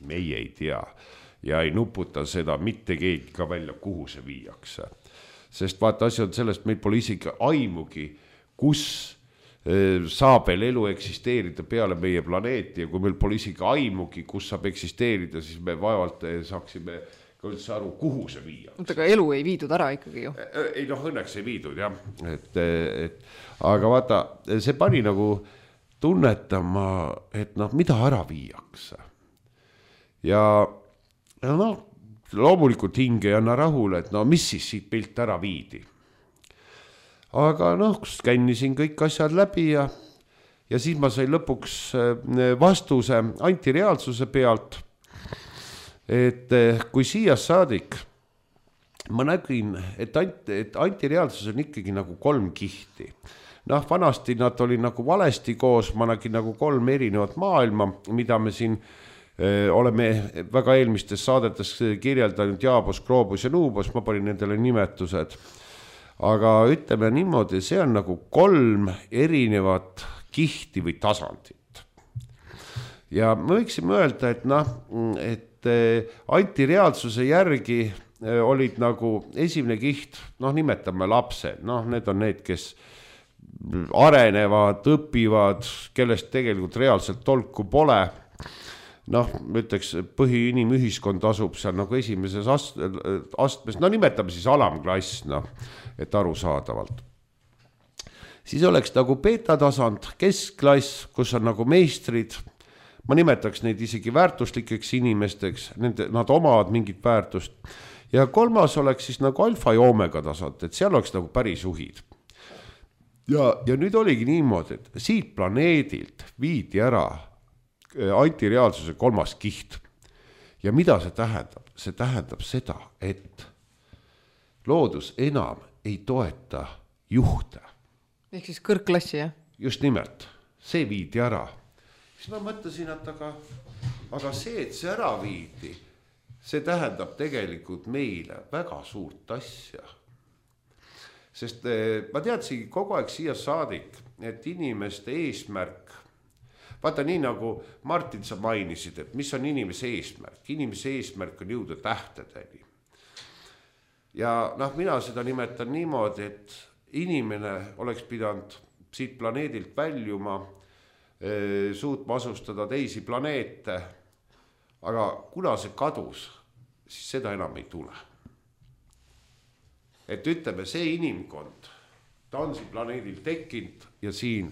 meie ei tea ja ei nuputa seda mitte keegi ka välja, kuhu see viiakse. Sest vaata, asi on sellest, meil pole isegi aimugi, kus saab veel elu eksisteerida peale meie planeeti ja kui meil pole isegi aimugi, kus saab eksisteerida, siis me vaevalt saaksime ka üldse aru, kuhu see viia. Aga elu ei viidud ära ikkagi ju. Ei, õnneks ei viidud, jah. Aga vaata, see pani nagu tunnetama, et mida ära viiakse. Ja loomulikult hinge ei anna rahule, et mis siis siit pilt ära viidi. Aga skännisin kõik asjad läbi ja ja siis ma sain lõpuks vastuse antireaalsuse pealt, et kui siia saadik ma nägin, et antireaalsus on ikkagi nagu 3 kihti. Noh, vanasti nad oli nagu valesti koos, ma nägin nagu 3 erinevat maailma, mida me siin oleme väga eelmistes saadetes kirjeldanud, Jaabos, Kroobos ja Nuubos, ma panin nendele nimetused. Aga ütleme niimoodi, see on nagu 3 erinevat kihti või tasandit. Ja me võiksime öelda, et antireaalsuse järgi olid nagu esimene kiht, nimetame lapsed, need on need, kes arenevad, õpivad, kellest tegelikult reaalselt tolku pole. Ütleks, põhiinimühiskond asub seal nagu esimeses astmes, nimetame siis alamklass, et arusaadavalt. Siis oleks nagu beta-tasand, keskklass, kus on nagu meistrid, ma nimetaks neid isegi väärtuslikeks inimesteks, nad omavad mingit väärtust. Ja 3. oleks siis nagu alfa ja omega tasand, et seal oleks nagu päris juhid. Ja nüüd oligi niimoodi, et siit planeedilt viidi ära antireaalsuse 3. kiht. Ja mida see tähendab? See tähendab seda, et loodus enam ei toeta juhte. Ehk siis kõrgklassi, jah? Just nimelt, see viidi ära. Siis ma mõtlesin, et aga see, et see ära viidi, see tähendab tegelikult meile väga suurt asja. Sest ma teadsin kogu aeg siia saadik, et inimeste eesmärk, vaata nii nagu Martin sa mainisid, et mis on inimese eesmärk? Inimese eesmärk on jõuda tähtedeni. Ja mina seda nimetan niimoodi, et inimene oleks pidanud siit planeedilt väljuma, suutma asustada teisi planeete, aga kuna see kadus, siis seda enam ei tule. Et ütleme, see inimkond, ta on siin planeedil tekkinud ja siin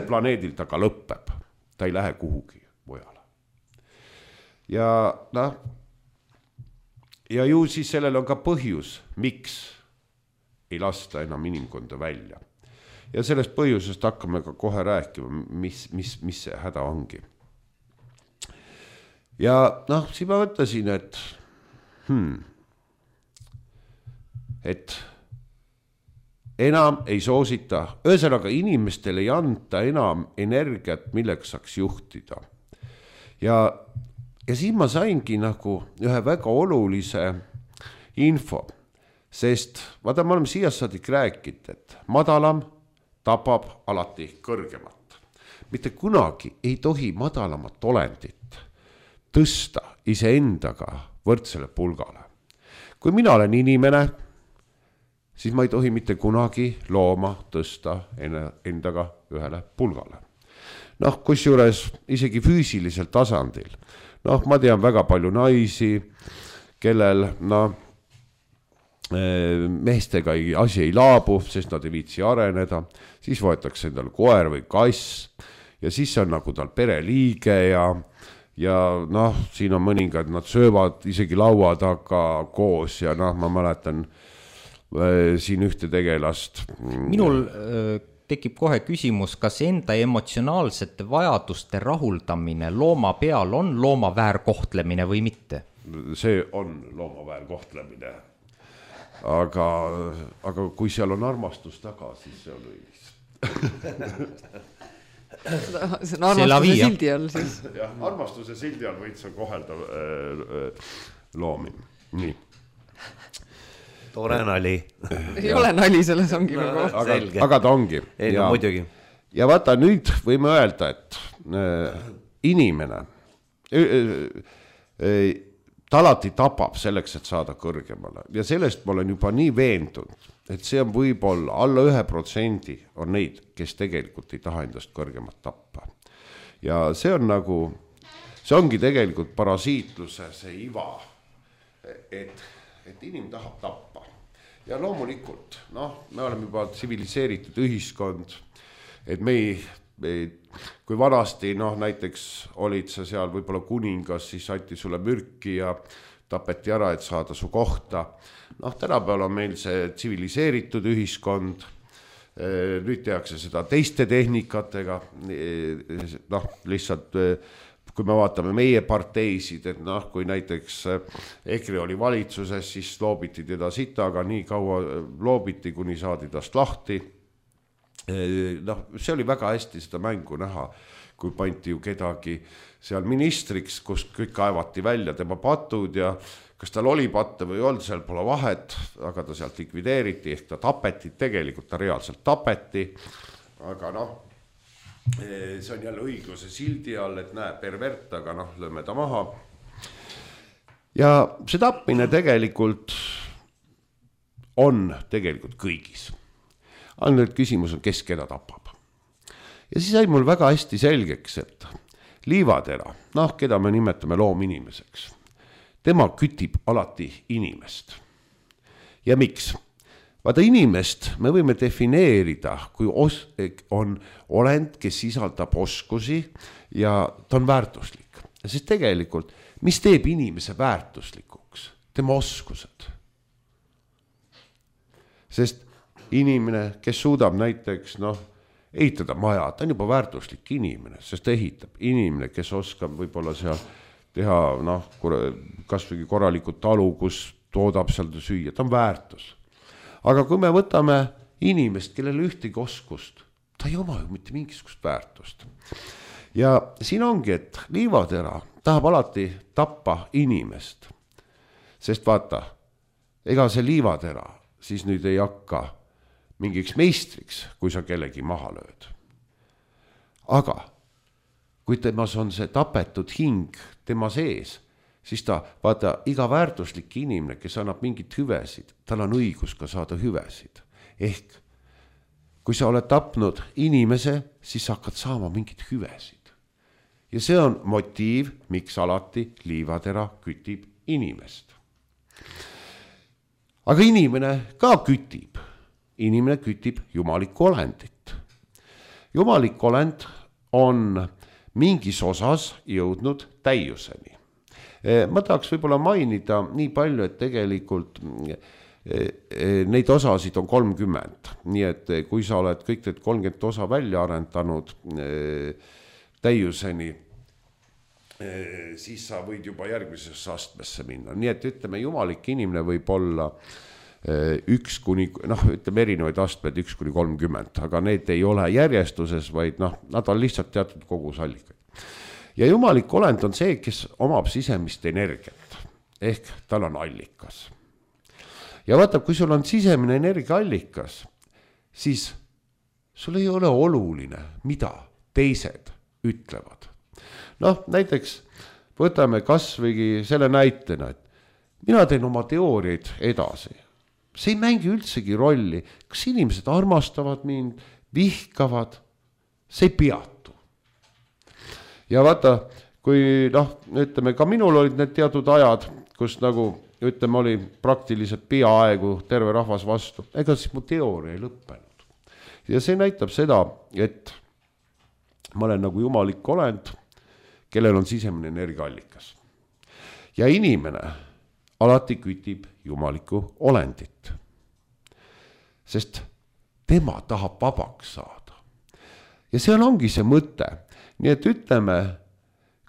planeedil ta ka lõpeb. Ta ei lähe kuhugi mujale. Ja ju siis sellel on ka põhjus, miks ei lasta enam inimkonda välja. Ja sellest põhjusest hakkame ka kohe rääkima, mis see häda ongi. Ja siis ma mõtlesin, et enam ei soosita, ühesõnaga inimestel ei anta enam energiat, milleks saaks juhtida. Ja siis ma saingi nagu ühe väga olulise info, sest vaata, me oleme siia saadik rääkinud, et madalam tapab alati kõrgemat. Mitte kunagi ei tohi madalamat olendit tõsta iseendaga võrdsele pulgale. Kui mina olen inimene, siis ma ei tohi mitte kunagi looma tõsta endaga ühele pulgale. Kusjuures isegi füüsilisel tasandil. Ma tean väga palju naisi, kellel meestega asi ei laabu, sest nad ei viitsi areneda, siis võetakse endal koer või kass ja siis on nagu tal pereliige ja siin on mõningad, nad söövad isegi laua taga koos ja ma mäletan siin ühte tegelast. Minul tekib kohe küsimus, kas enda emotsionaalsete vajaduste rahuldamine looma peal on looma väärkohtlemine või mitte? See on looma väärkohtlemine. Aga kui seal on armastus taga, siis see on õilis. See on armastuse sildi all siis. Jah, armastuse sildi all võid sa kohelda loomi. Nii. Tore nali. Ei ole nali, selles ongi nagu. Aga ta ongi. No, muidugi. Ja vaata, nüüd võime öelda, et inimene ta alati tapab selleks, et saada kõrgemale. Ja sellest ma olen juba nii veendunud, et see on võib-olla alla 1% on neid, kes tegelikult ei taha endast kõrgemat tappa. Ja see on nagu, see ongi tegelikult parasiitluse see iva, et inimene tahab tappa. Ja loomulikult, me oleme juba tsiviliseeritud ühiskond, et kui vanasti, näiteks olid sa seal võib-olla kuningas, siis anti sulle mürki ja tapeti ära, et saada su kohta. Tänapäeval on meil see tsiviliseeritud ühiskond, nüüd tehakse seda teiste tehnikatega, noh, lihtsalt kui me vaatame meie parteisid, et noh, kui näiteks EKRE oli valitsuses, siis loobiti teda sitaga, nii kaua loobiti, kuni saadi tast lahti. Noh, see oli väga hästi seda mängu näha, kui panti ju kedagi seal ministriks, kus kõik kaevati välja tema patud ja kas tal oli patte või olnud, seal pole vahet, aga ta sealt likvideeriti, ehk ta tapeti, tegelikult ta reaalselt tapeti, aga noh, see on jälle õigluse sildi all, et näe, pervert, aga noh, lööme ta maha. Ja see tapmine tegelikult on tegelikult kõigis. Ainult küsimus on, kes keda tapab. Ja siis sai mul väga hästi selgeks, et Liivatera, noh, keda me nimetame loominimeseks, tema kütib alati inimest. Ja miks? Vaata inimest me võime defineerida, kui on olend, kes sisaldab oskusi ja ta on väärtuslik. Sest tegelikult, mis teeb inimese väärtuslikuks? Tema oskused. Sest inimene, kes suudab näiteks ehitada maja, ta on juba väärtuslik inimene, sest ta ehitab. Inimene, kes oskab võib-olla seal teha kas või korralikult talu, kus toodab seal süüa, ta on väärtus. Aga kui me võtame inimest, kellel ühtegi oskust, ta ei oma ju mitte mingisugust väärtust. Ja siin ongi, et Liivatera tahab alati tappa inimest. Sest vaata, ega see Liivatera siis nüüd ei hakka mingiks meistriks, kui sa kellegi maha lööd. Aga kui temas on see tapetud hing tema sees, siis ta, vaata, iga väärtuslik inimene, kes annab mingit hüvesid, tal on õigus ka saada hüvesid. Ehk, kui sa oled tapnud inimese, siis sa hakkad saama mingit hüvesid. Ja see on motiiv, miks alati Liivatera kütib inimest. Aga inimene ka kütib. Inimene kütib jumalikku olendit. Jumalik olend on mingis osas jõudnud täiuseni. Ma tahaks võib-olla mainida nii palju, et tegelikult neid osasid on 30. Nii et kui sa oled kõik need 30 osa välja arendanud täiuseni, siis sa võid juba järgmisesse astmesse minna. Nii et ütleme, jumalik inimene võib olla ütleme erinevaid astmed 1-30, aga need ei ole järjestuses, vaid nad on lihtsalt teatud kogusallikaid. Ja jumalik olend on see, kes omab sisemist energiat, ehk tal on allikas. Ja vaata, kui sul on sisemine energiaallikas, siis sul ei ole oluline, mida teised ütlevad. Näiteks võtame kas või selle näitena, et mina teen oma teooriaid edasi. See ei mängi üldsegi rolli, kas inimesed armastavad mind, vihkavad, see ei peatu. Ja vaata, kui ütleme, ka minul olid need teatud ajad, kus ütleme, oli praktiliselt peaaegu terve rahvas vastu, ega siis mu teooria ei lõppenud. Ja see näitab seda, et ma olen nagu jumalik olend, kellel on sisemine energiaallikas. Ja inimene alati kütib jumalikku olendit. Sest tema tahab vabaks saada. Ja see ongi see mõte. Nii et ütleme,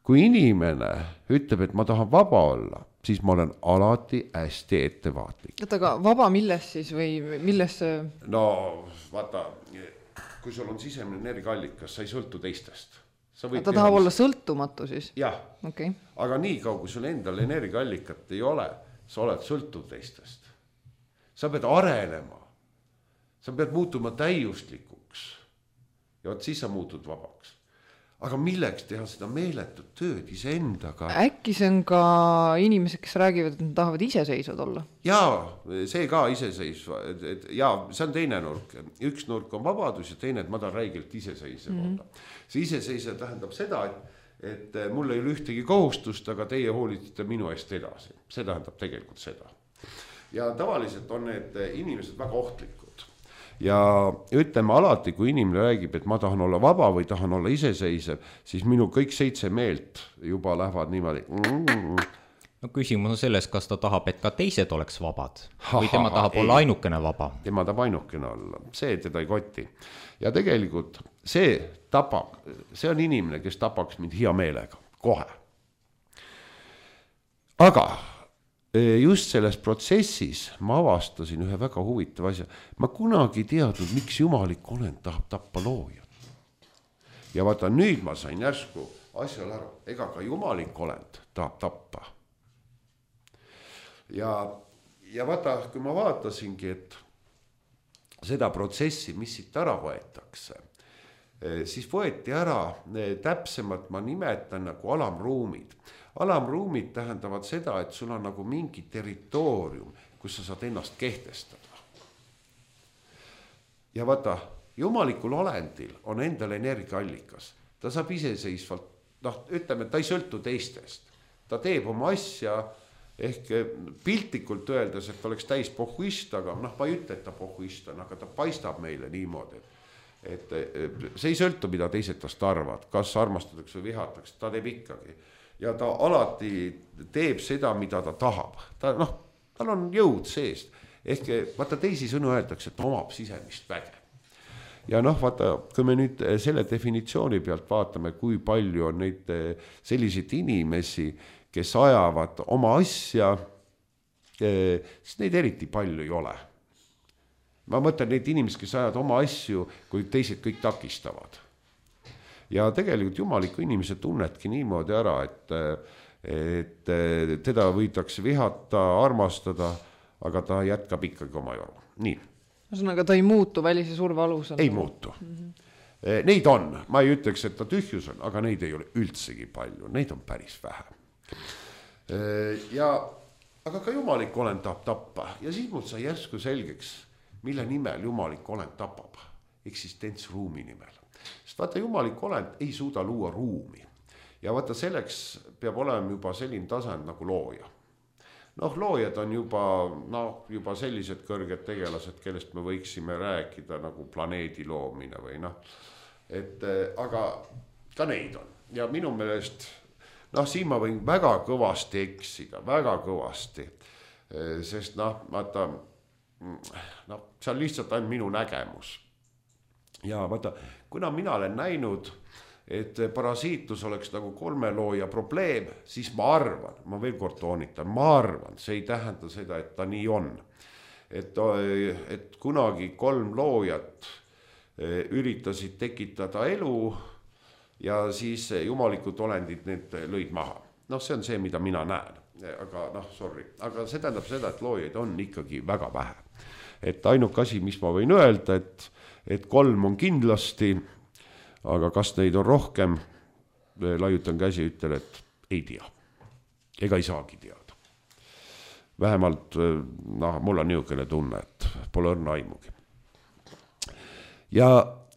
kui inimene ütleb, et ma tahan vaba olla, siis ma olen alati hästi ettevaatlik. Aga vaba milles siis või milles? No vaata, kui sul on sisemine energiaallikas, sa ei sõltu teistest. Ta tahab olla sõltumatu siis? Jah, okay. Aga nii kaua, kui sul endal energiaallikat ei ole, sa oled sõltuv teistest. Sa pead arenema, sa pead muutuma täiuslikuks ja siis sa muutud vabaks. Aga milleks teha seda meeletut tööd iseendaga? Äkki see on ka inimesed, kes räägivad, et nad tahavad iseseisvad olla? Jaa, see ka iseseisva. Jaa, see on teine nurk. Üks nurk on vabadus ja teine, et ma tahan räigelt iseseisev olla. See iseseisev tähendab seda, et mul ei ole ühtegi kohustust, aga teie hoolitsete minu eest edasi. See tähendab tegelikult seda. Ja tavaliselt on need inimesed väga ohtlikud. Ja ütleme alati, kui inimene räägib, et ma tahan olla vaba või tahan olla iseseisev, siis minu kõik 7 meelt juba lähevad niimoodi. no küsimus on selles, kas ta tahab, et ka teised oleks vabad või tema tahab olla ainukene vaba. Tema tahab ainukene olla, see teda ei koti. Ja tegelikult see on inimene, kes tapaks mind hea meelega, kohe. Aga just selles protsessis ma avastasin ühe väga huvitava asja. Ma kunagi teadnud, miks jumalik olend tahab tappa loojat. Ja vaata, nüüd ma sain järsku asjal aru, ega ka jumalik olend tahab tappa. Ja vaata, kui ma vaatasingi, et seda protsessi, mis siit ära võetakse, siis võeti ära, täpsemalt ma nimetan nagu alamruumid. Alamruumid tähendavad seda, et sul on nagu mingi territoorium, kus sa saad ennast kehtestada. Ja vaata, jumalikul olendil on endal energiaallikas. Ta saab iseseisvalt, ütleme, ta ei sõltu teistest. Ta teeb oma asja, ehk piltlikult öeldes, et oleks täis pohhuist, aga ma ei ütle, et ta pohhuist on, aga ta paistab meile niimoodi, et see ei sõltu, mida teised tast arvad, kas armastatakse või vihatakse, ta teeb ikkagi. Ja ta alati teeb seda, mida ta tahab. Tal on jõud seest. Ehk vaata teisi sõnu öeldakse, et omab sisemist väge. Ja vaata, kui me nüüd selle definitsiooni pealt vaatame, kui palju on neid selliseid inimesi, kes ajavad oma asja, siis neid eriti palju ei ole. Ma mõtlen neid inimesi, kes ajavad oma asju, kui teised kõik takistavad. Ja tegelikult jumaliku inimese tunnetki niimoodi ära, et teda võidakse vihata, armastada, aga ta jätkab ikkagi oma joru. Nii. Ühesõnaga, ta ei muutu välise surve alusel? Ei muutu. Neid on, ma ei ütleks, et ta tühjus on, aga neid ei ole üldsegi palju, neid on päris vähe. Aga ka jumalik olend tahab tappa ja siis mul sai järsku selgeks, mille nimel jumalik olend tapab, eksistentsruumi nimel. Sest vaata, jumalik olend ei suuda luua ruumi ja vaata, selleks peab olema juba selline tasand nagu looja. Loojad on juba sellised kõrged tegelased, kellest me võiksime rääkida nagu planeedi loomine või aga ka neid on ja minu meelest siin ma võin väga kõvasti eksida, väga kõvasti, sest vaata, see on lihtsalt ainult minu nägemus. Ja vaata, kuna mina olen näinud, et parasiitus oleks nagu 3 looja probleem, siis ma arvan, ma veel kord toonitan, ma arvan, see ei tähenda seda, et ta nii on. Et kunagi 3 loojat üritasid tekitada elu ja siis jumalikud olendid need lõid maha. See on see, mida mina näen, aga aga see tähendab seda, et loojaid on ikkagi väga vähe. Et ainuke asi, mis ma võin öelda, et 3 on kindlasti, aga kas neid on rohkem, laiutan käsi, ütlen, et ei tea. Ega ei saagi teada. Vähemalt, mul on niisugune tunne, et pole õrna aimugi. Ja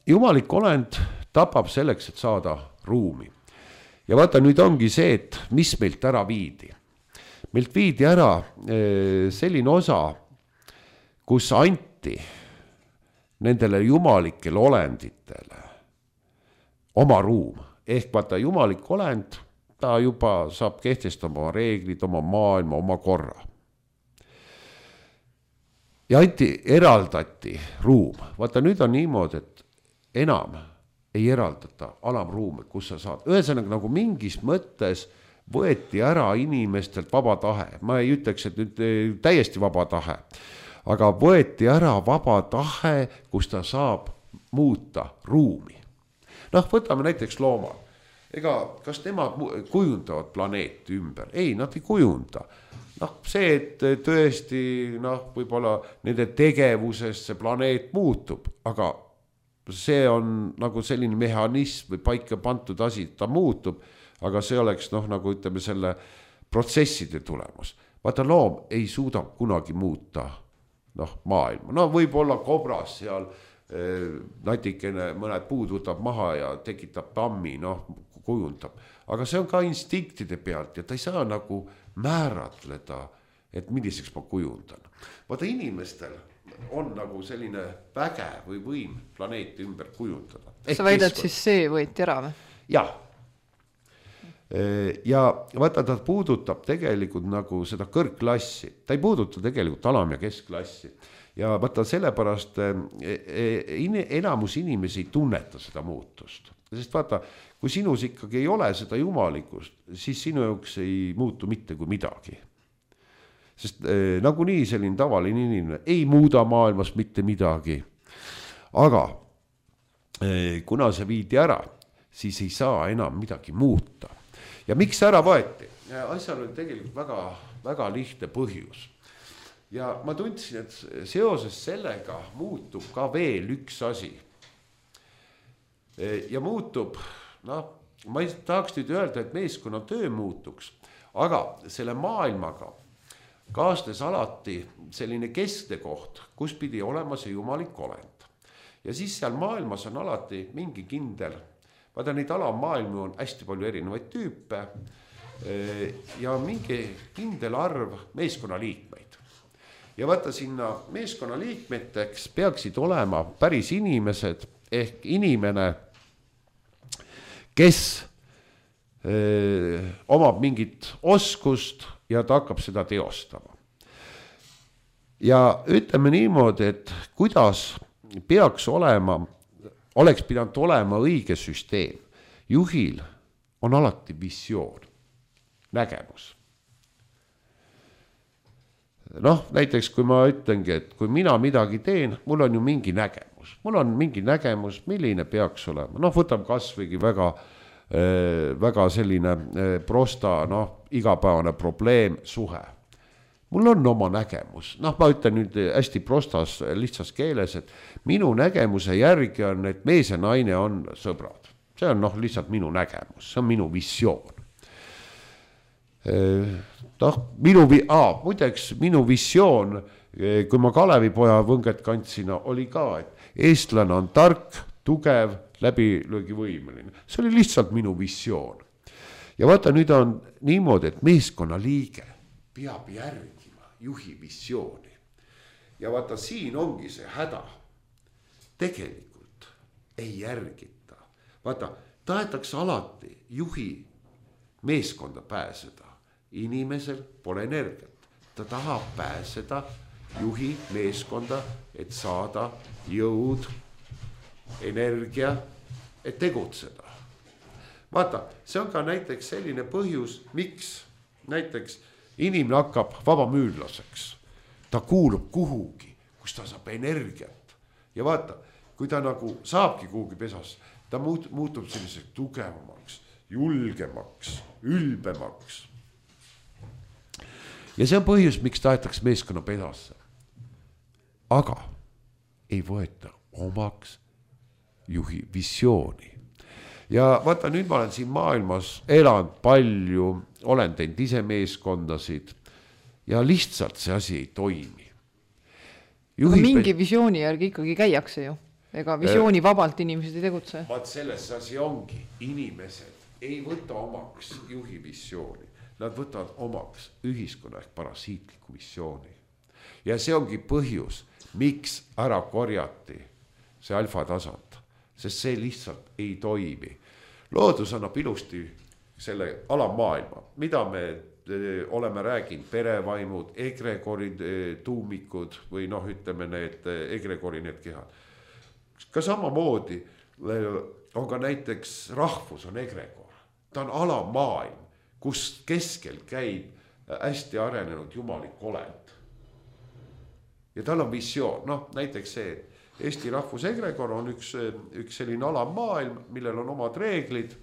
jumalik olend tapab selleks, et saada ruumi. Ja vaata, nüüd ongi see, et mis meilt ära viidi. Meilt viidi ära selline osa, kus anti nendele jumalikele olenditele oma ruum. Ehk vaata, jumalik olend, ta juba saab kehtestama oma reeglid, oma maailma, oma korra. Ja eraldati ruum. Vaata, nüüd on niimoodi, et enam ei eraldata alamruume, kus sa saad. Ühesõnaga nagu mingis mõttes võeti ära inimestelt vaba tahe. Ma ei ütleks, et nüüd täiesti vaba tahe. Aga võeti ära vaba tahe, kus ta saab muuta ruumi. Võtame näiteks looma. Kas nemad kujundavad planeeti ümber? Ei, nad ei kujunda. See, et tõesti võib-olla nende tegevuses see planeet muutub, aga see on nagu selline mehhanism või paika pandud asi, ta muutub, aga see oleks nagu ütleme selle protsesside tulemus. Vaata, loom ei suuda kunagi muuta maailma. Võib-olla kobras seal natikene mõned puud võtab maha ja tekitab tammi, kujundab. Aga see on ka instinktide pealt ja ta ei saa nagu määratleda, et milliseks ma kujundan. Vaata, inimestel on nagu selline väge või võim planeeti ümber kujundada. Sa väidad siis see võeti ära või? Jah. ja vaata, ta puudutab tegelikult nagu seda kõrgklassi, ta ei puuduta tegelikult alam- ja keskklassi ja vaata sellepärast enamus inimesi ei tunneta seda muutust, sest vaata, kui sinus ikkagi ei ole seda jumalikkust, siis sinu jaoks ei muutu mitte kui midagi. Sest nagunii selline tavaline inimene ei muuda maailmas mitte midagi. Aga kuna see viidi ära, siis ei saa enam midagi muuta. Ja miks ära võeti? Asjal oli tegelikult väga, väga lihtne põhjus. Ja ma tundsin, et seoses sellega muutub ka veel üks asi. Ja muutub, ma ei tahaks nüüd öelda, et meeskonna töö muutuks, aga selle maailmaga kaasnes alati selline keskne koht, kus pidi olema see jumalik olend. Ja siis seal maailmas on alati mingi kindel, vaata neid alamaailmi on hästi palju erinevaid tüüpe ja mingi kindel arv meeskonnaliikmeid. Ja vaata sinna meeskonnaliikmeteks peaksid olema päris inimesed ehk inimene, kes omab mingit oskust ja ta hakkab seda teostama. Ja ütleme niimoodi, et kuidas peaks olema, oleks pidanud olema õige süsteem. Juhil on alati visioon, nägemus. Näiteks kui ma ütlengi, et kui mina midagi teen, mul on ju mingi nägemus. Mul on mingi nägemus, milline peaks olema. Võtab kasvõigi väga selline prosta, igapäevane probleem, suhe. Mul on oma nägemus. Ma ütlen nüüd hästi prostas, lihtsas keeles, et minu nägemuse järgi on, et mees ja naine on sõbrad. See on lihtsalt minu nägemus, see on minu visioon. Muideks minu visioon, kui ma Kalevipoja võnget kandsina, oli ka, et eestlane on tark, tugev, läbilöögivõimeline. See oli lihtsalt minu visioon. Ja vaata, nüüd on niimoodi, et meeskonna liige peab järgima juhi visiooni. Ja vaata, siin ongi see häda. Tegelikult ei järgita. Vaata, tahetakse alati juhi meeskonda pääseda. Inimesel pole energiat. Ta tahab pääseda juhi meeskonda, et saada jõud, energia, et tegutseda. Vaata, see on ka näiteks selline põhjus, miks näiteks inimene hakkab vabamüürlaseks. Ta kuulub kuhugi, kus ta saab energiat. Ja vaata, kui ta nagu saabki kuhugi pesas, ta muutub selliseks tugevamaks, julgemaks, ülbemaks. Ja see on põhjus, miks tahetakse meeskonna pedasse. Aga ei võeta omaks juhi visiooni. Ja vaata, nüüd ma olen siin maailmas elanud palju, olen teinud ise meeskondasid ja lihtsalt see asi ei toimi. Mingi visiooni järgi ikkagi käiakse ju. Ega visiooni vabalt inimesed ei tegutse. Vaat selles asi ongi. Inimesed ei võta omaks juhi visiooni. Nad võtavad omaks ühiskonna ehk parasiitliku visiooni. Ja see ongi põhjus, miks ära korjati see alfa tasand, sest see lihtsalt ei toimi. Loodus annab ilusti selle alamaailma, mida me oleme rääginud, perevaimud, egregorid, tuumikud või ütleme need egregori need kehad. Ka samamoodi on ka näiteks rahvus on egregor. Ta on alamaailm, kus keskel käib hästi arenenud jumalik olend. Ja tal on visioon, näiteks see, et Eesti rahvusegregor on üks selline alamaailm, millel on omad reeglid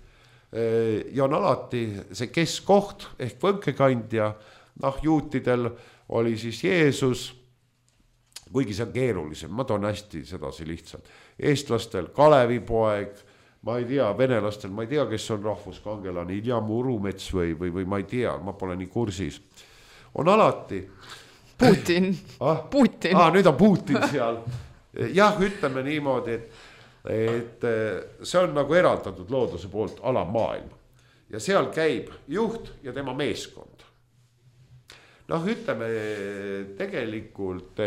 ja on alati see keskkoht ehk võnkekandja, juutidel oli siis Jeesus, kuigi see on keerulisem, ma toon hästi sedasi lihtsalt. Eestlastel Kalevipoeg, ma ei tea, venelastel, ma ei tea, kes on rahvuskangelane, Ilja Murumets või ma ei tea, ma pole nii kursis. On alati Putin. Putin. Nüüd on Putin seal. Jah, ütleme niimoodi, et see on nagu eraldatud looduse poolt alamaailma. Ja seal käib juht ja tema meeskond. Ütleme tegelikult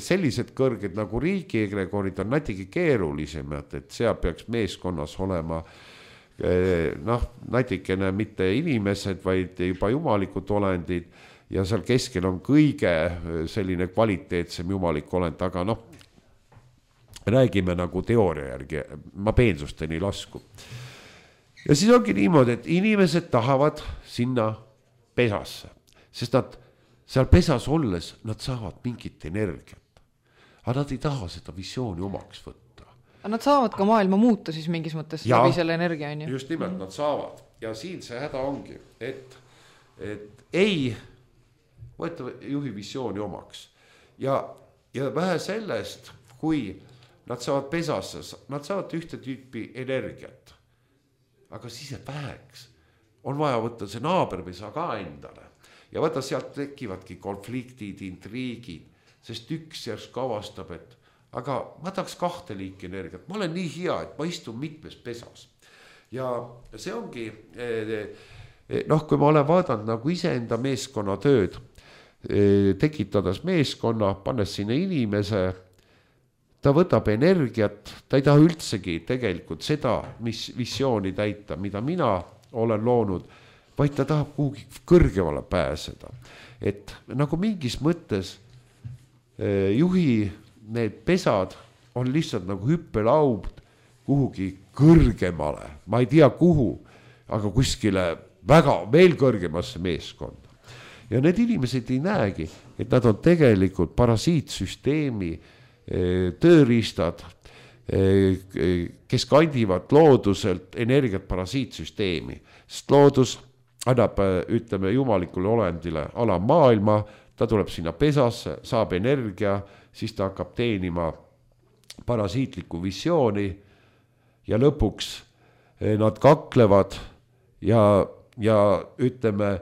sellised kõrged nagu riigi egregorid on natuke keerulisemad, et seal peaks meeskonnas olema noh, natikene mitte inimesed, vaid juba jumalikud olendid ja seal keskel on kõige selline kvaliteetsem jumalik olend, aga noh, räägime nagu teooria järgi, ma peensusteni lasku. Ja siis ongi niimoodi, et inimesed tahavad sinna pesasse, sest nad seal pesas olles, nad saavad mingit energiat. Aga nad ei taha seda visiooni omaks võtta. Aga nad saavad ka maailma muuta siis mingis mõttes läbi selle energia, on ju? Just nimelt nad saavad. Ja siin see häda ongi, et ei võtta juhi visiooni omaks. Ja vähe sellest, kui nad saavad pesasse, nad saavad ühte tüüpi energiat. Aga siis jääb väheks. On vaja võtta see naaberpesa ka endale. Ja vaata, sealt tekivadki konfliktid, intriigid, sest üks järsku avastab, et aga ma tahaks 2 liiki energiat. Ma olen nii hea, et ma istun mitmes pesas. Ja see ongi, noh, kui ma olen vaadanud nagu iseenda meeskonna tööd, tekitades meeskonna, pannes sinna inimese, ta võtab energiat, ta ei taha üldsegi tegelikult seda, mis visiooni täita, mida mina olen loonud, vaid ta tahab kuhugi kõrgemale pääseda. Et nagu mingis mõttes juhi need pesad on lihtsalt nagu hüppelaub kuhugi kõrgemale, ma ei tea kuhu, aga kuskile väga veel kõrgemasse meeskonda. Ja need inimesed ei näegi, et nad on tegelikult parasiitsüsteemi tööriistad, kes kandivad looduselt energiat parasiitsüsteemi, sest loodus annab, ütleme, jumalikule olendile alamaailma, ta tuleb sinna pesasse, saab energia, siis ta hakkab teenima parasiitlikku visiooni ja lõpuks nad kaklevad ja ütleme,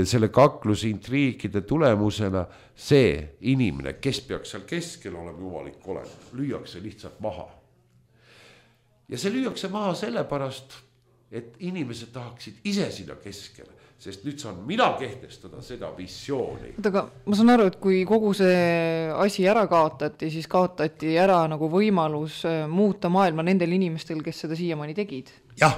selle kaklusintriikide tulemusena see inimene, kes peaks seal keskel olema jumalik olema, lüüakse lihtsalt maha. Ja see lüüakse maha sellepärast, et inimesed tahaksid ise sinna keskele, sest nüüd saan mina kehtestada seda visiooni. Aga ma saan aru, et kui kogu see asi ära kaotati, siis kaotati ära nagu võimalus muuta maailma nendel inimestel, kes seda siiamaani tegid. Jah.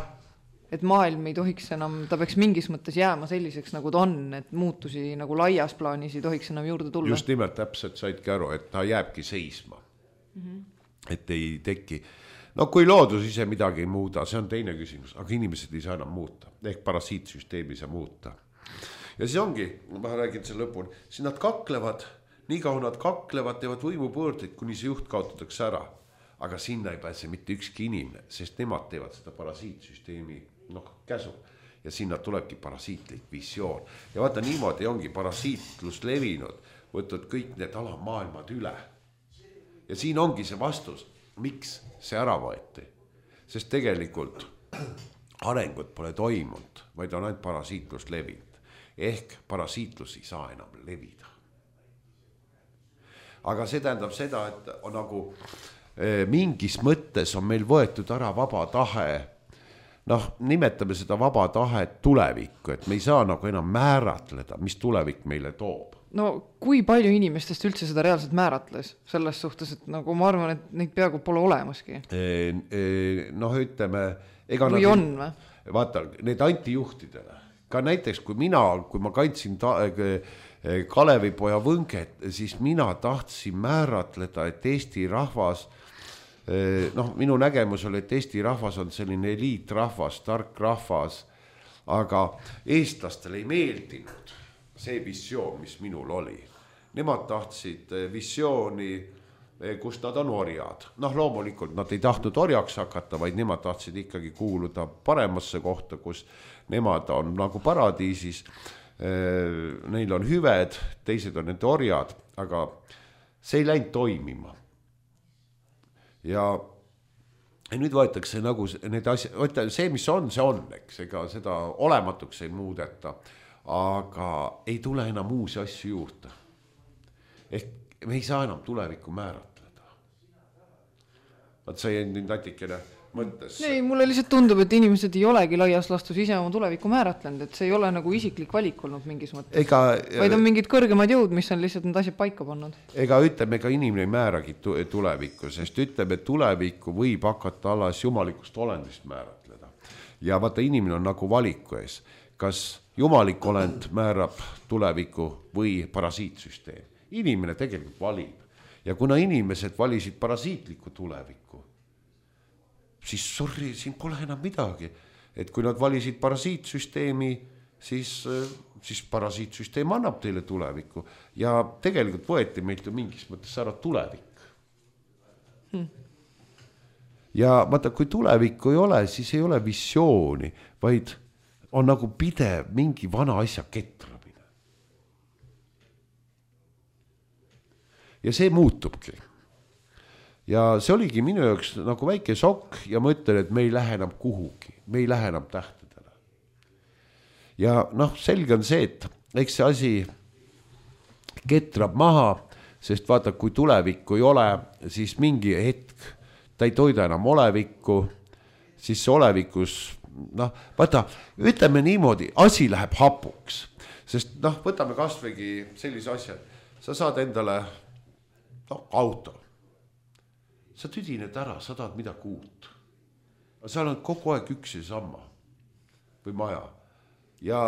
Et maailm ei tohiks enam, ta peaks mingis mõttes jääma selliseks, nagu ta on, et muutusi nagu laias plaanis ei tohiks enam juurde tulla. Just nimelt täpselt saidki aru, et ta jääbki seisma. Et ei teki. No kui loodus ise midagi ei muuda, see on teine küsimus, aga inimesed ei saa enam muuta. Ehk parasiitsüsteemi ei saa muuta. Ja siis ongi, ma räägin selle lõpuni, siis nad kaklevad, nii kaua nad kaklevad, teevad võimupõõrdeid, kuni see juht kaotatakse ära. Aga sinna ei pääse mitte ükski inimene, sest nemad teevad seda parasiitsüsteemi käsu. Ja sinna tulebki parasiitlik visioon. Ja vaata, niimoodi ongi parasiitlus levinud, võtnud kõik need alamaailmad üle. Ja siin ongi see vastus, miks see ära võeti. Sest tegelikult arengut pole toimunud, vaid on ainult parasiitlus levinud. Ehk parasiitlus ei saa enam levida. Aga see tähendab seda, et on nagu mingis mõttes on meil võetud ära vaba tahe, nimetame seda vaba tahet tulevikku, et me ei saa nagu enam määratleda, mis tulevik meile toob. No kui palju inimestest üldse seda reaalselt määratles selles suhtes, et nagu ma arvan, et neid peaaegu pole olemaski? Ütleme, või on või? Vaata, need antijuhtidele, ka näiteks kui ma kandsin Kalevipoja võnget, siis mina tahtsin määratleda, et Eesti rahvas, minu nägemus oli, et Eesti rahvas on selline eliitrahvas, tark rahvas, aga eestlastele ei meeldinud see visioon, mis minul oli. Nemad tahtsid visiooni, kus nad on orjad. Loomulikult nad ei tahtnud orjaks hakata, vaid nemad tahtsid ikkagi kuuluda paremasse kohta, kus nemad on nagu paradiisis, neil on hüved, teised on nende orjad, aga see ei läinud toimima. Ja nüüd võetakse nagu need asjad, see mis on, eks, ega seda olematuks ei muudeta, aga ei tule enam uusi asju juurde. Ehk me ei saa enam tulevikku määratleda. Vaat see on natikene mõttes. Ei, mulle lihtsalt tundub, et inimesed ei olegi laias lastus ise oma tulevikku määratlenud, et see ei ole nagu isiklik valik olnud mingis mõttes. Vaid on mingid kõrgemad jõud, mis on lihtsalt need asjad paika pannud. Ega ütleme, ega inimene ei määragi tulevikku, sest ütleme, tulevikku võib hakata alles jumalikust olendist määratleda. ja vaata, inimene on nagu valiku ees, kas jumalik olend määrab tuleviku või parasiitsüsteem. Inimene tegelikult valib ja kuna inimesed valisid parasiitliku tuleviku, siis sorry, siin pole enam midagi, et kui nad valisid parasiitsüsteemi, siis parasiitsüsteem annab teile tulevikku ja tegelikult võeti meilt ju mingis mõttes ära tulevik. Ja vaata, kui tulevikku ei ole, siis ei ole visiooni, vaid on nagu pidev mingi vana asja ketramine. Ja see muutubki. Ja see oligi minu jaoks nagu väike šokk ja ma ütlen, et me ei lähe enam kuhugi, me ei lähe enam tähtedele. Ja noh, selge on see, et eks see asi ketrab maha, sest vaata, kui tulevikku ei ole, siis mingi hetk ta ei toida enam olevikku, siis see olevikus, noh, vaata, ütleme niimoodi, asi läheb hapuks, sest noh, võtame kasvõigi sellise asja, sa saad endale auto, sa tüdined ära, sa tahad midagi uut, aga seal on kogu aeg üks ja sama või maja ja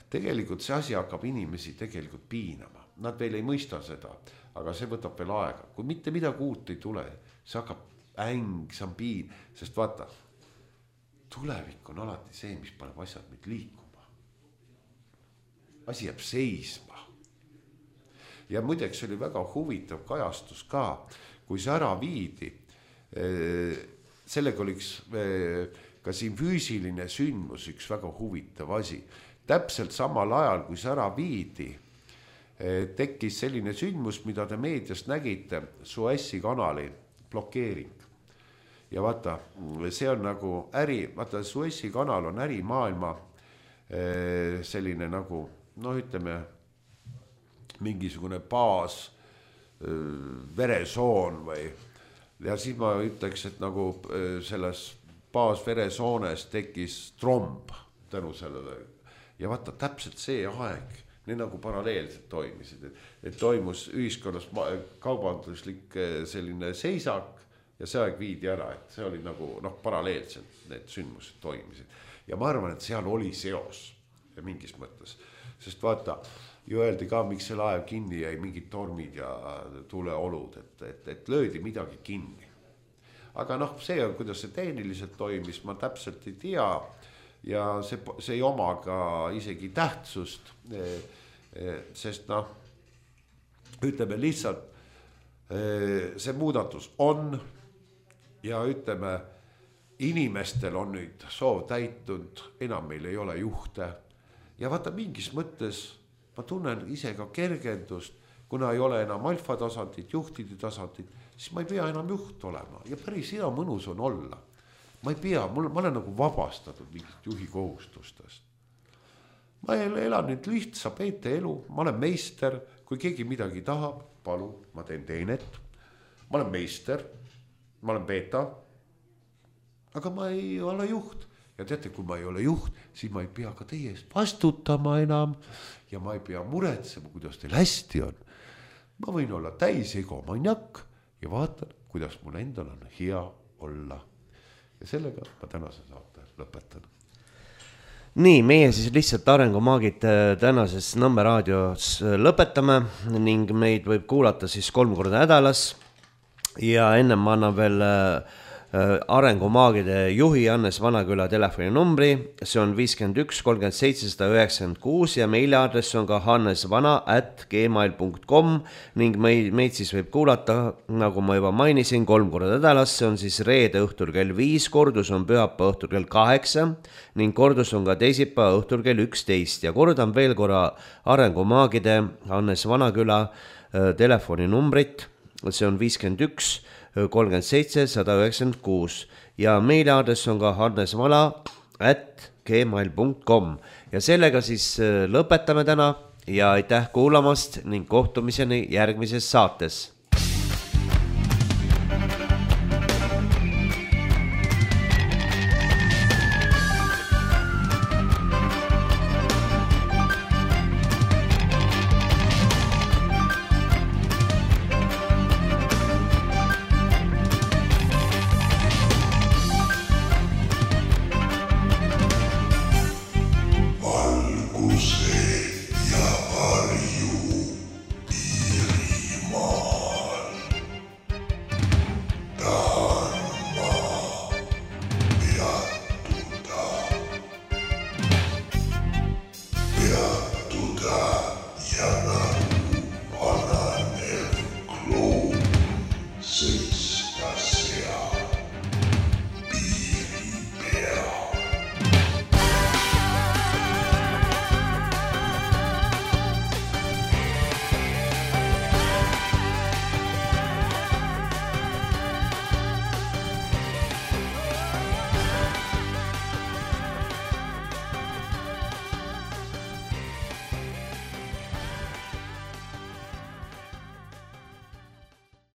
tegelikult see asi hakkab inimesi tegelikult piinama, nad veel ei mõista seda, aga see võtab veel aega, kui mitte midagi uut ei tule, see hakkab see on piin, sest vaata, tulevik on alati see, mis paneb asjad meid liikuma. Asi jääb seisma. Ja muideks oli väga huvitav kajastus ka, kui see ära viidi, sellega oliks ka siin füüsiline sündmus üks väga huvitav asi. Täpselt samal ajal, kui see ära viidi, tekkis selline sündmus, mida te meediast nägite, Suessi kanali blokeering. Ja vaata, see on nagu vaata, Suessi kanal on ärimaailma selline nagu, ütleme, mingisugune baas, veresoon või, ja siis ma ütleks, et nagu selles baas veresoones tekkis tromb tänu sellele. Ja vaata, täpselt see aeg, need nagu paralleelselt toimisid, et toimus ühiskonnas kaubanduslik selline seisak, ja see aeg viidi ära, et see oli nagu paralleelselt need sündmused toimisid. Ja ma arvan, et seal oli seos mingis mõttes, sest vaata, ju öeldi ka, miks see laev kinni jäi, mingid tormid ja tuleolud, et löödi midagi kinni. Aga see on, kuidas see tehniliselt toimis, ma täpselt ei tea ja see ei oma ka isegi tähtsust, sest ütleme lihtsalt, see muudatus on ja ütleme, inimestel on nüüd soov täitunud, enam meil ei ole juhte ja vaata mingis mõttes ma tunnen ise ka kergendust, kuna ei ole enam alfa tasandit, juhtide tasandit, siis ma ei pea enam juht olema ja päris hea mõnus on olla. Ma ei pea, ma olen nagu vabastatud mingit juhi kohustustest. Ma elan nüüd lihtsa peete elu, ma olen meister, kui keegi midagi tahab, palun, ma teen teenet, ma olen meister, ma olen beeta, aga ma ei ole juht. Ja teate, kui ma ei ole juht, siis ma ei pea ka teie eest vastutama enam ja ma ei pea muretsema, kuidas teil hästi on. Ma võin olla täis egomaniak ja vaatan, kuidas mul endal on hea olla. Ja sellega ma tänase saate lõpetan. Nii, meie siis lihtsalt arengumaagid tänases Nõmme raadios lõpetame ning meid võib kuulata siis 3 korda nädalas ja ennem ma annan veel arengumaagide juhi Hannes Vanaküla telefoninumbri, see on 51 37 196 ja meiliaadress on ka hannesvana@gmail.com ning meid siis võib kuulata, nagu ma juba mainisin, 3 korda nädalas, see on siis reede õhtul kell 5, kordus on pühapäeva õhtul kell 8 ning kordus on ka teisipäeva õhtul kell 11 ja kordan veel korra arengumaagide Hannes Vanaküla telefoninumbrit, see on 51 37 196 ja meiliaadress on ka hannesvala@gmail.com ja sellega siis lõpetame täna ja aitäh kuulamast ning kohtumiseni järgmises saates.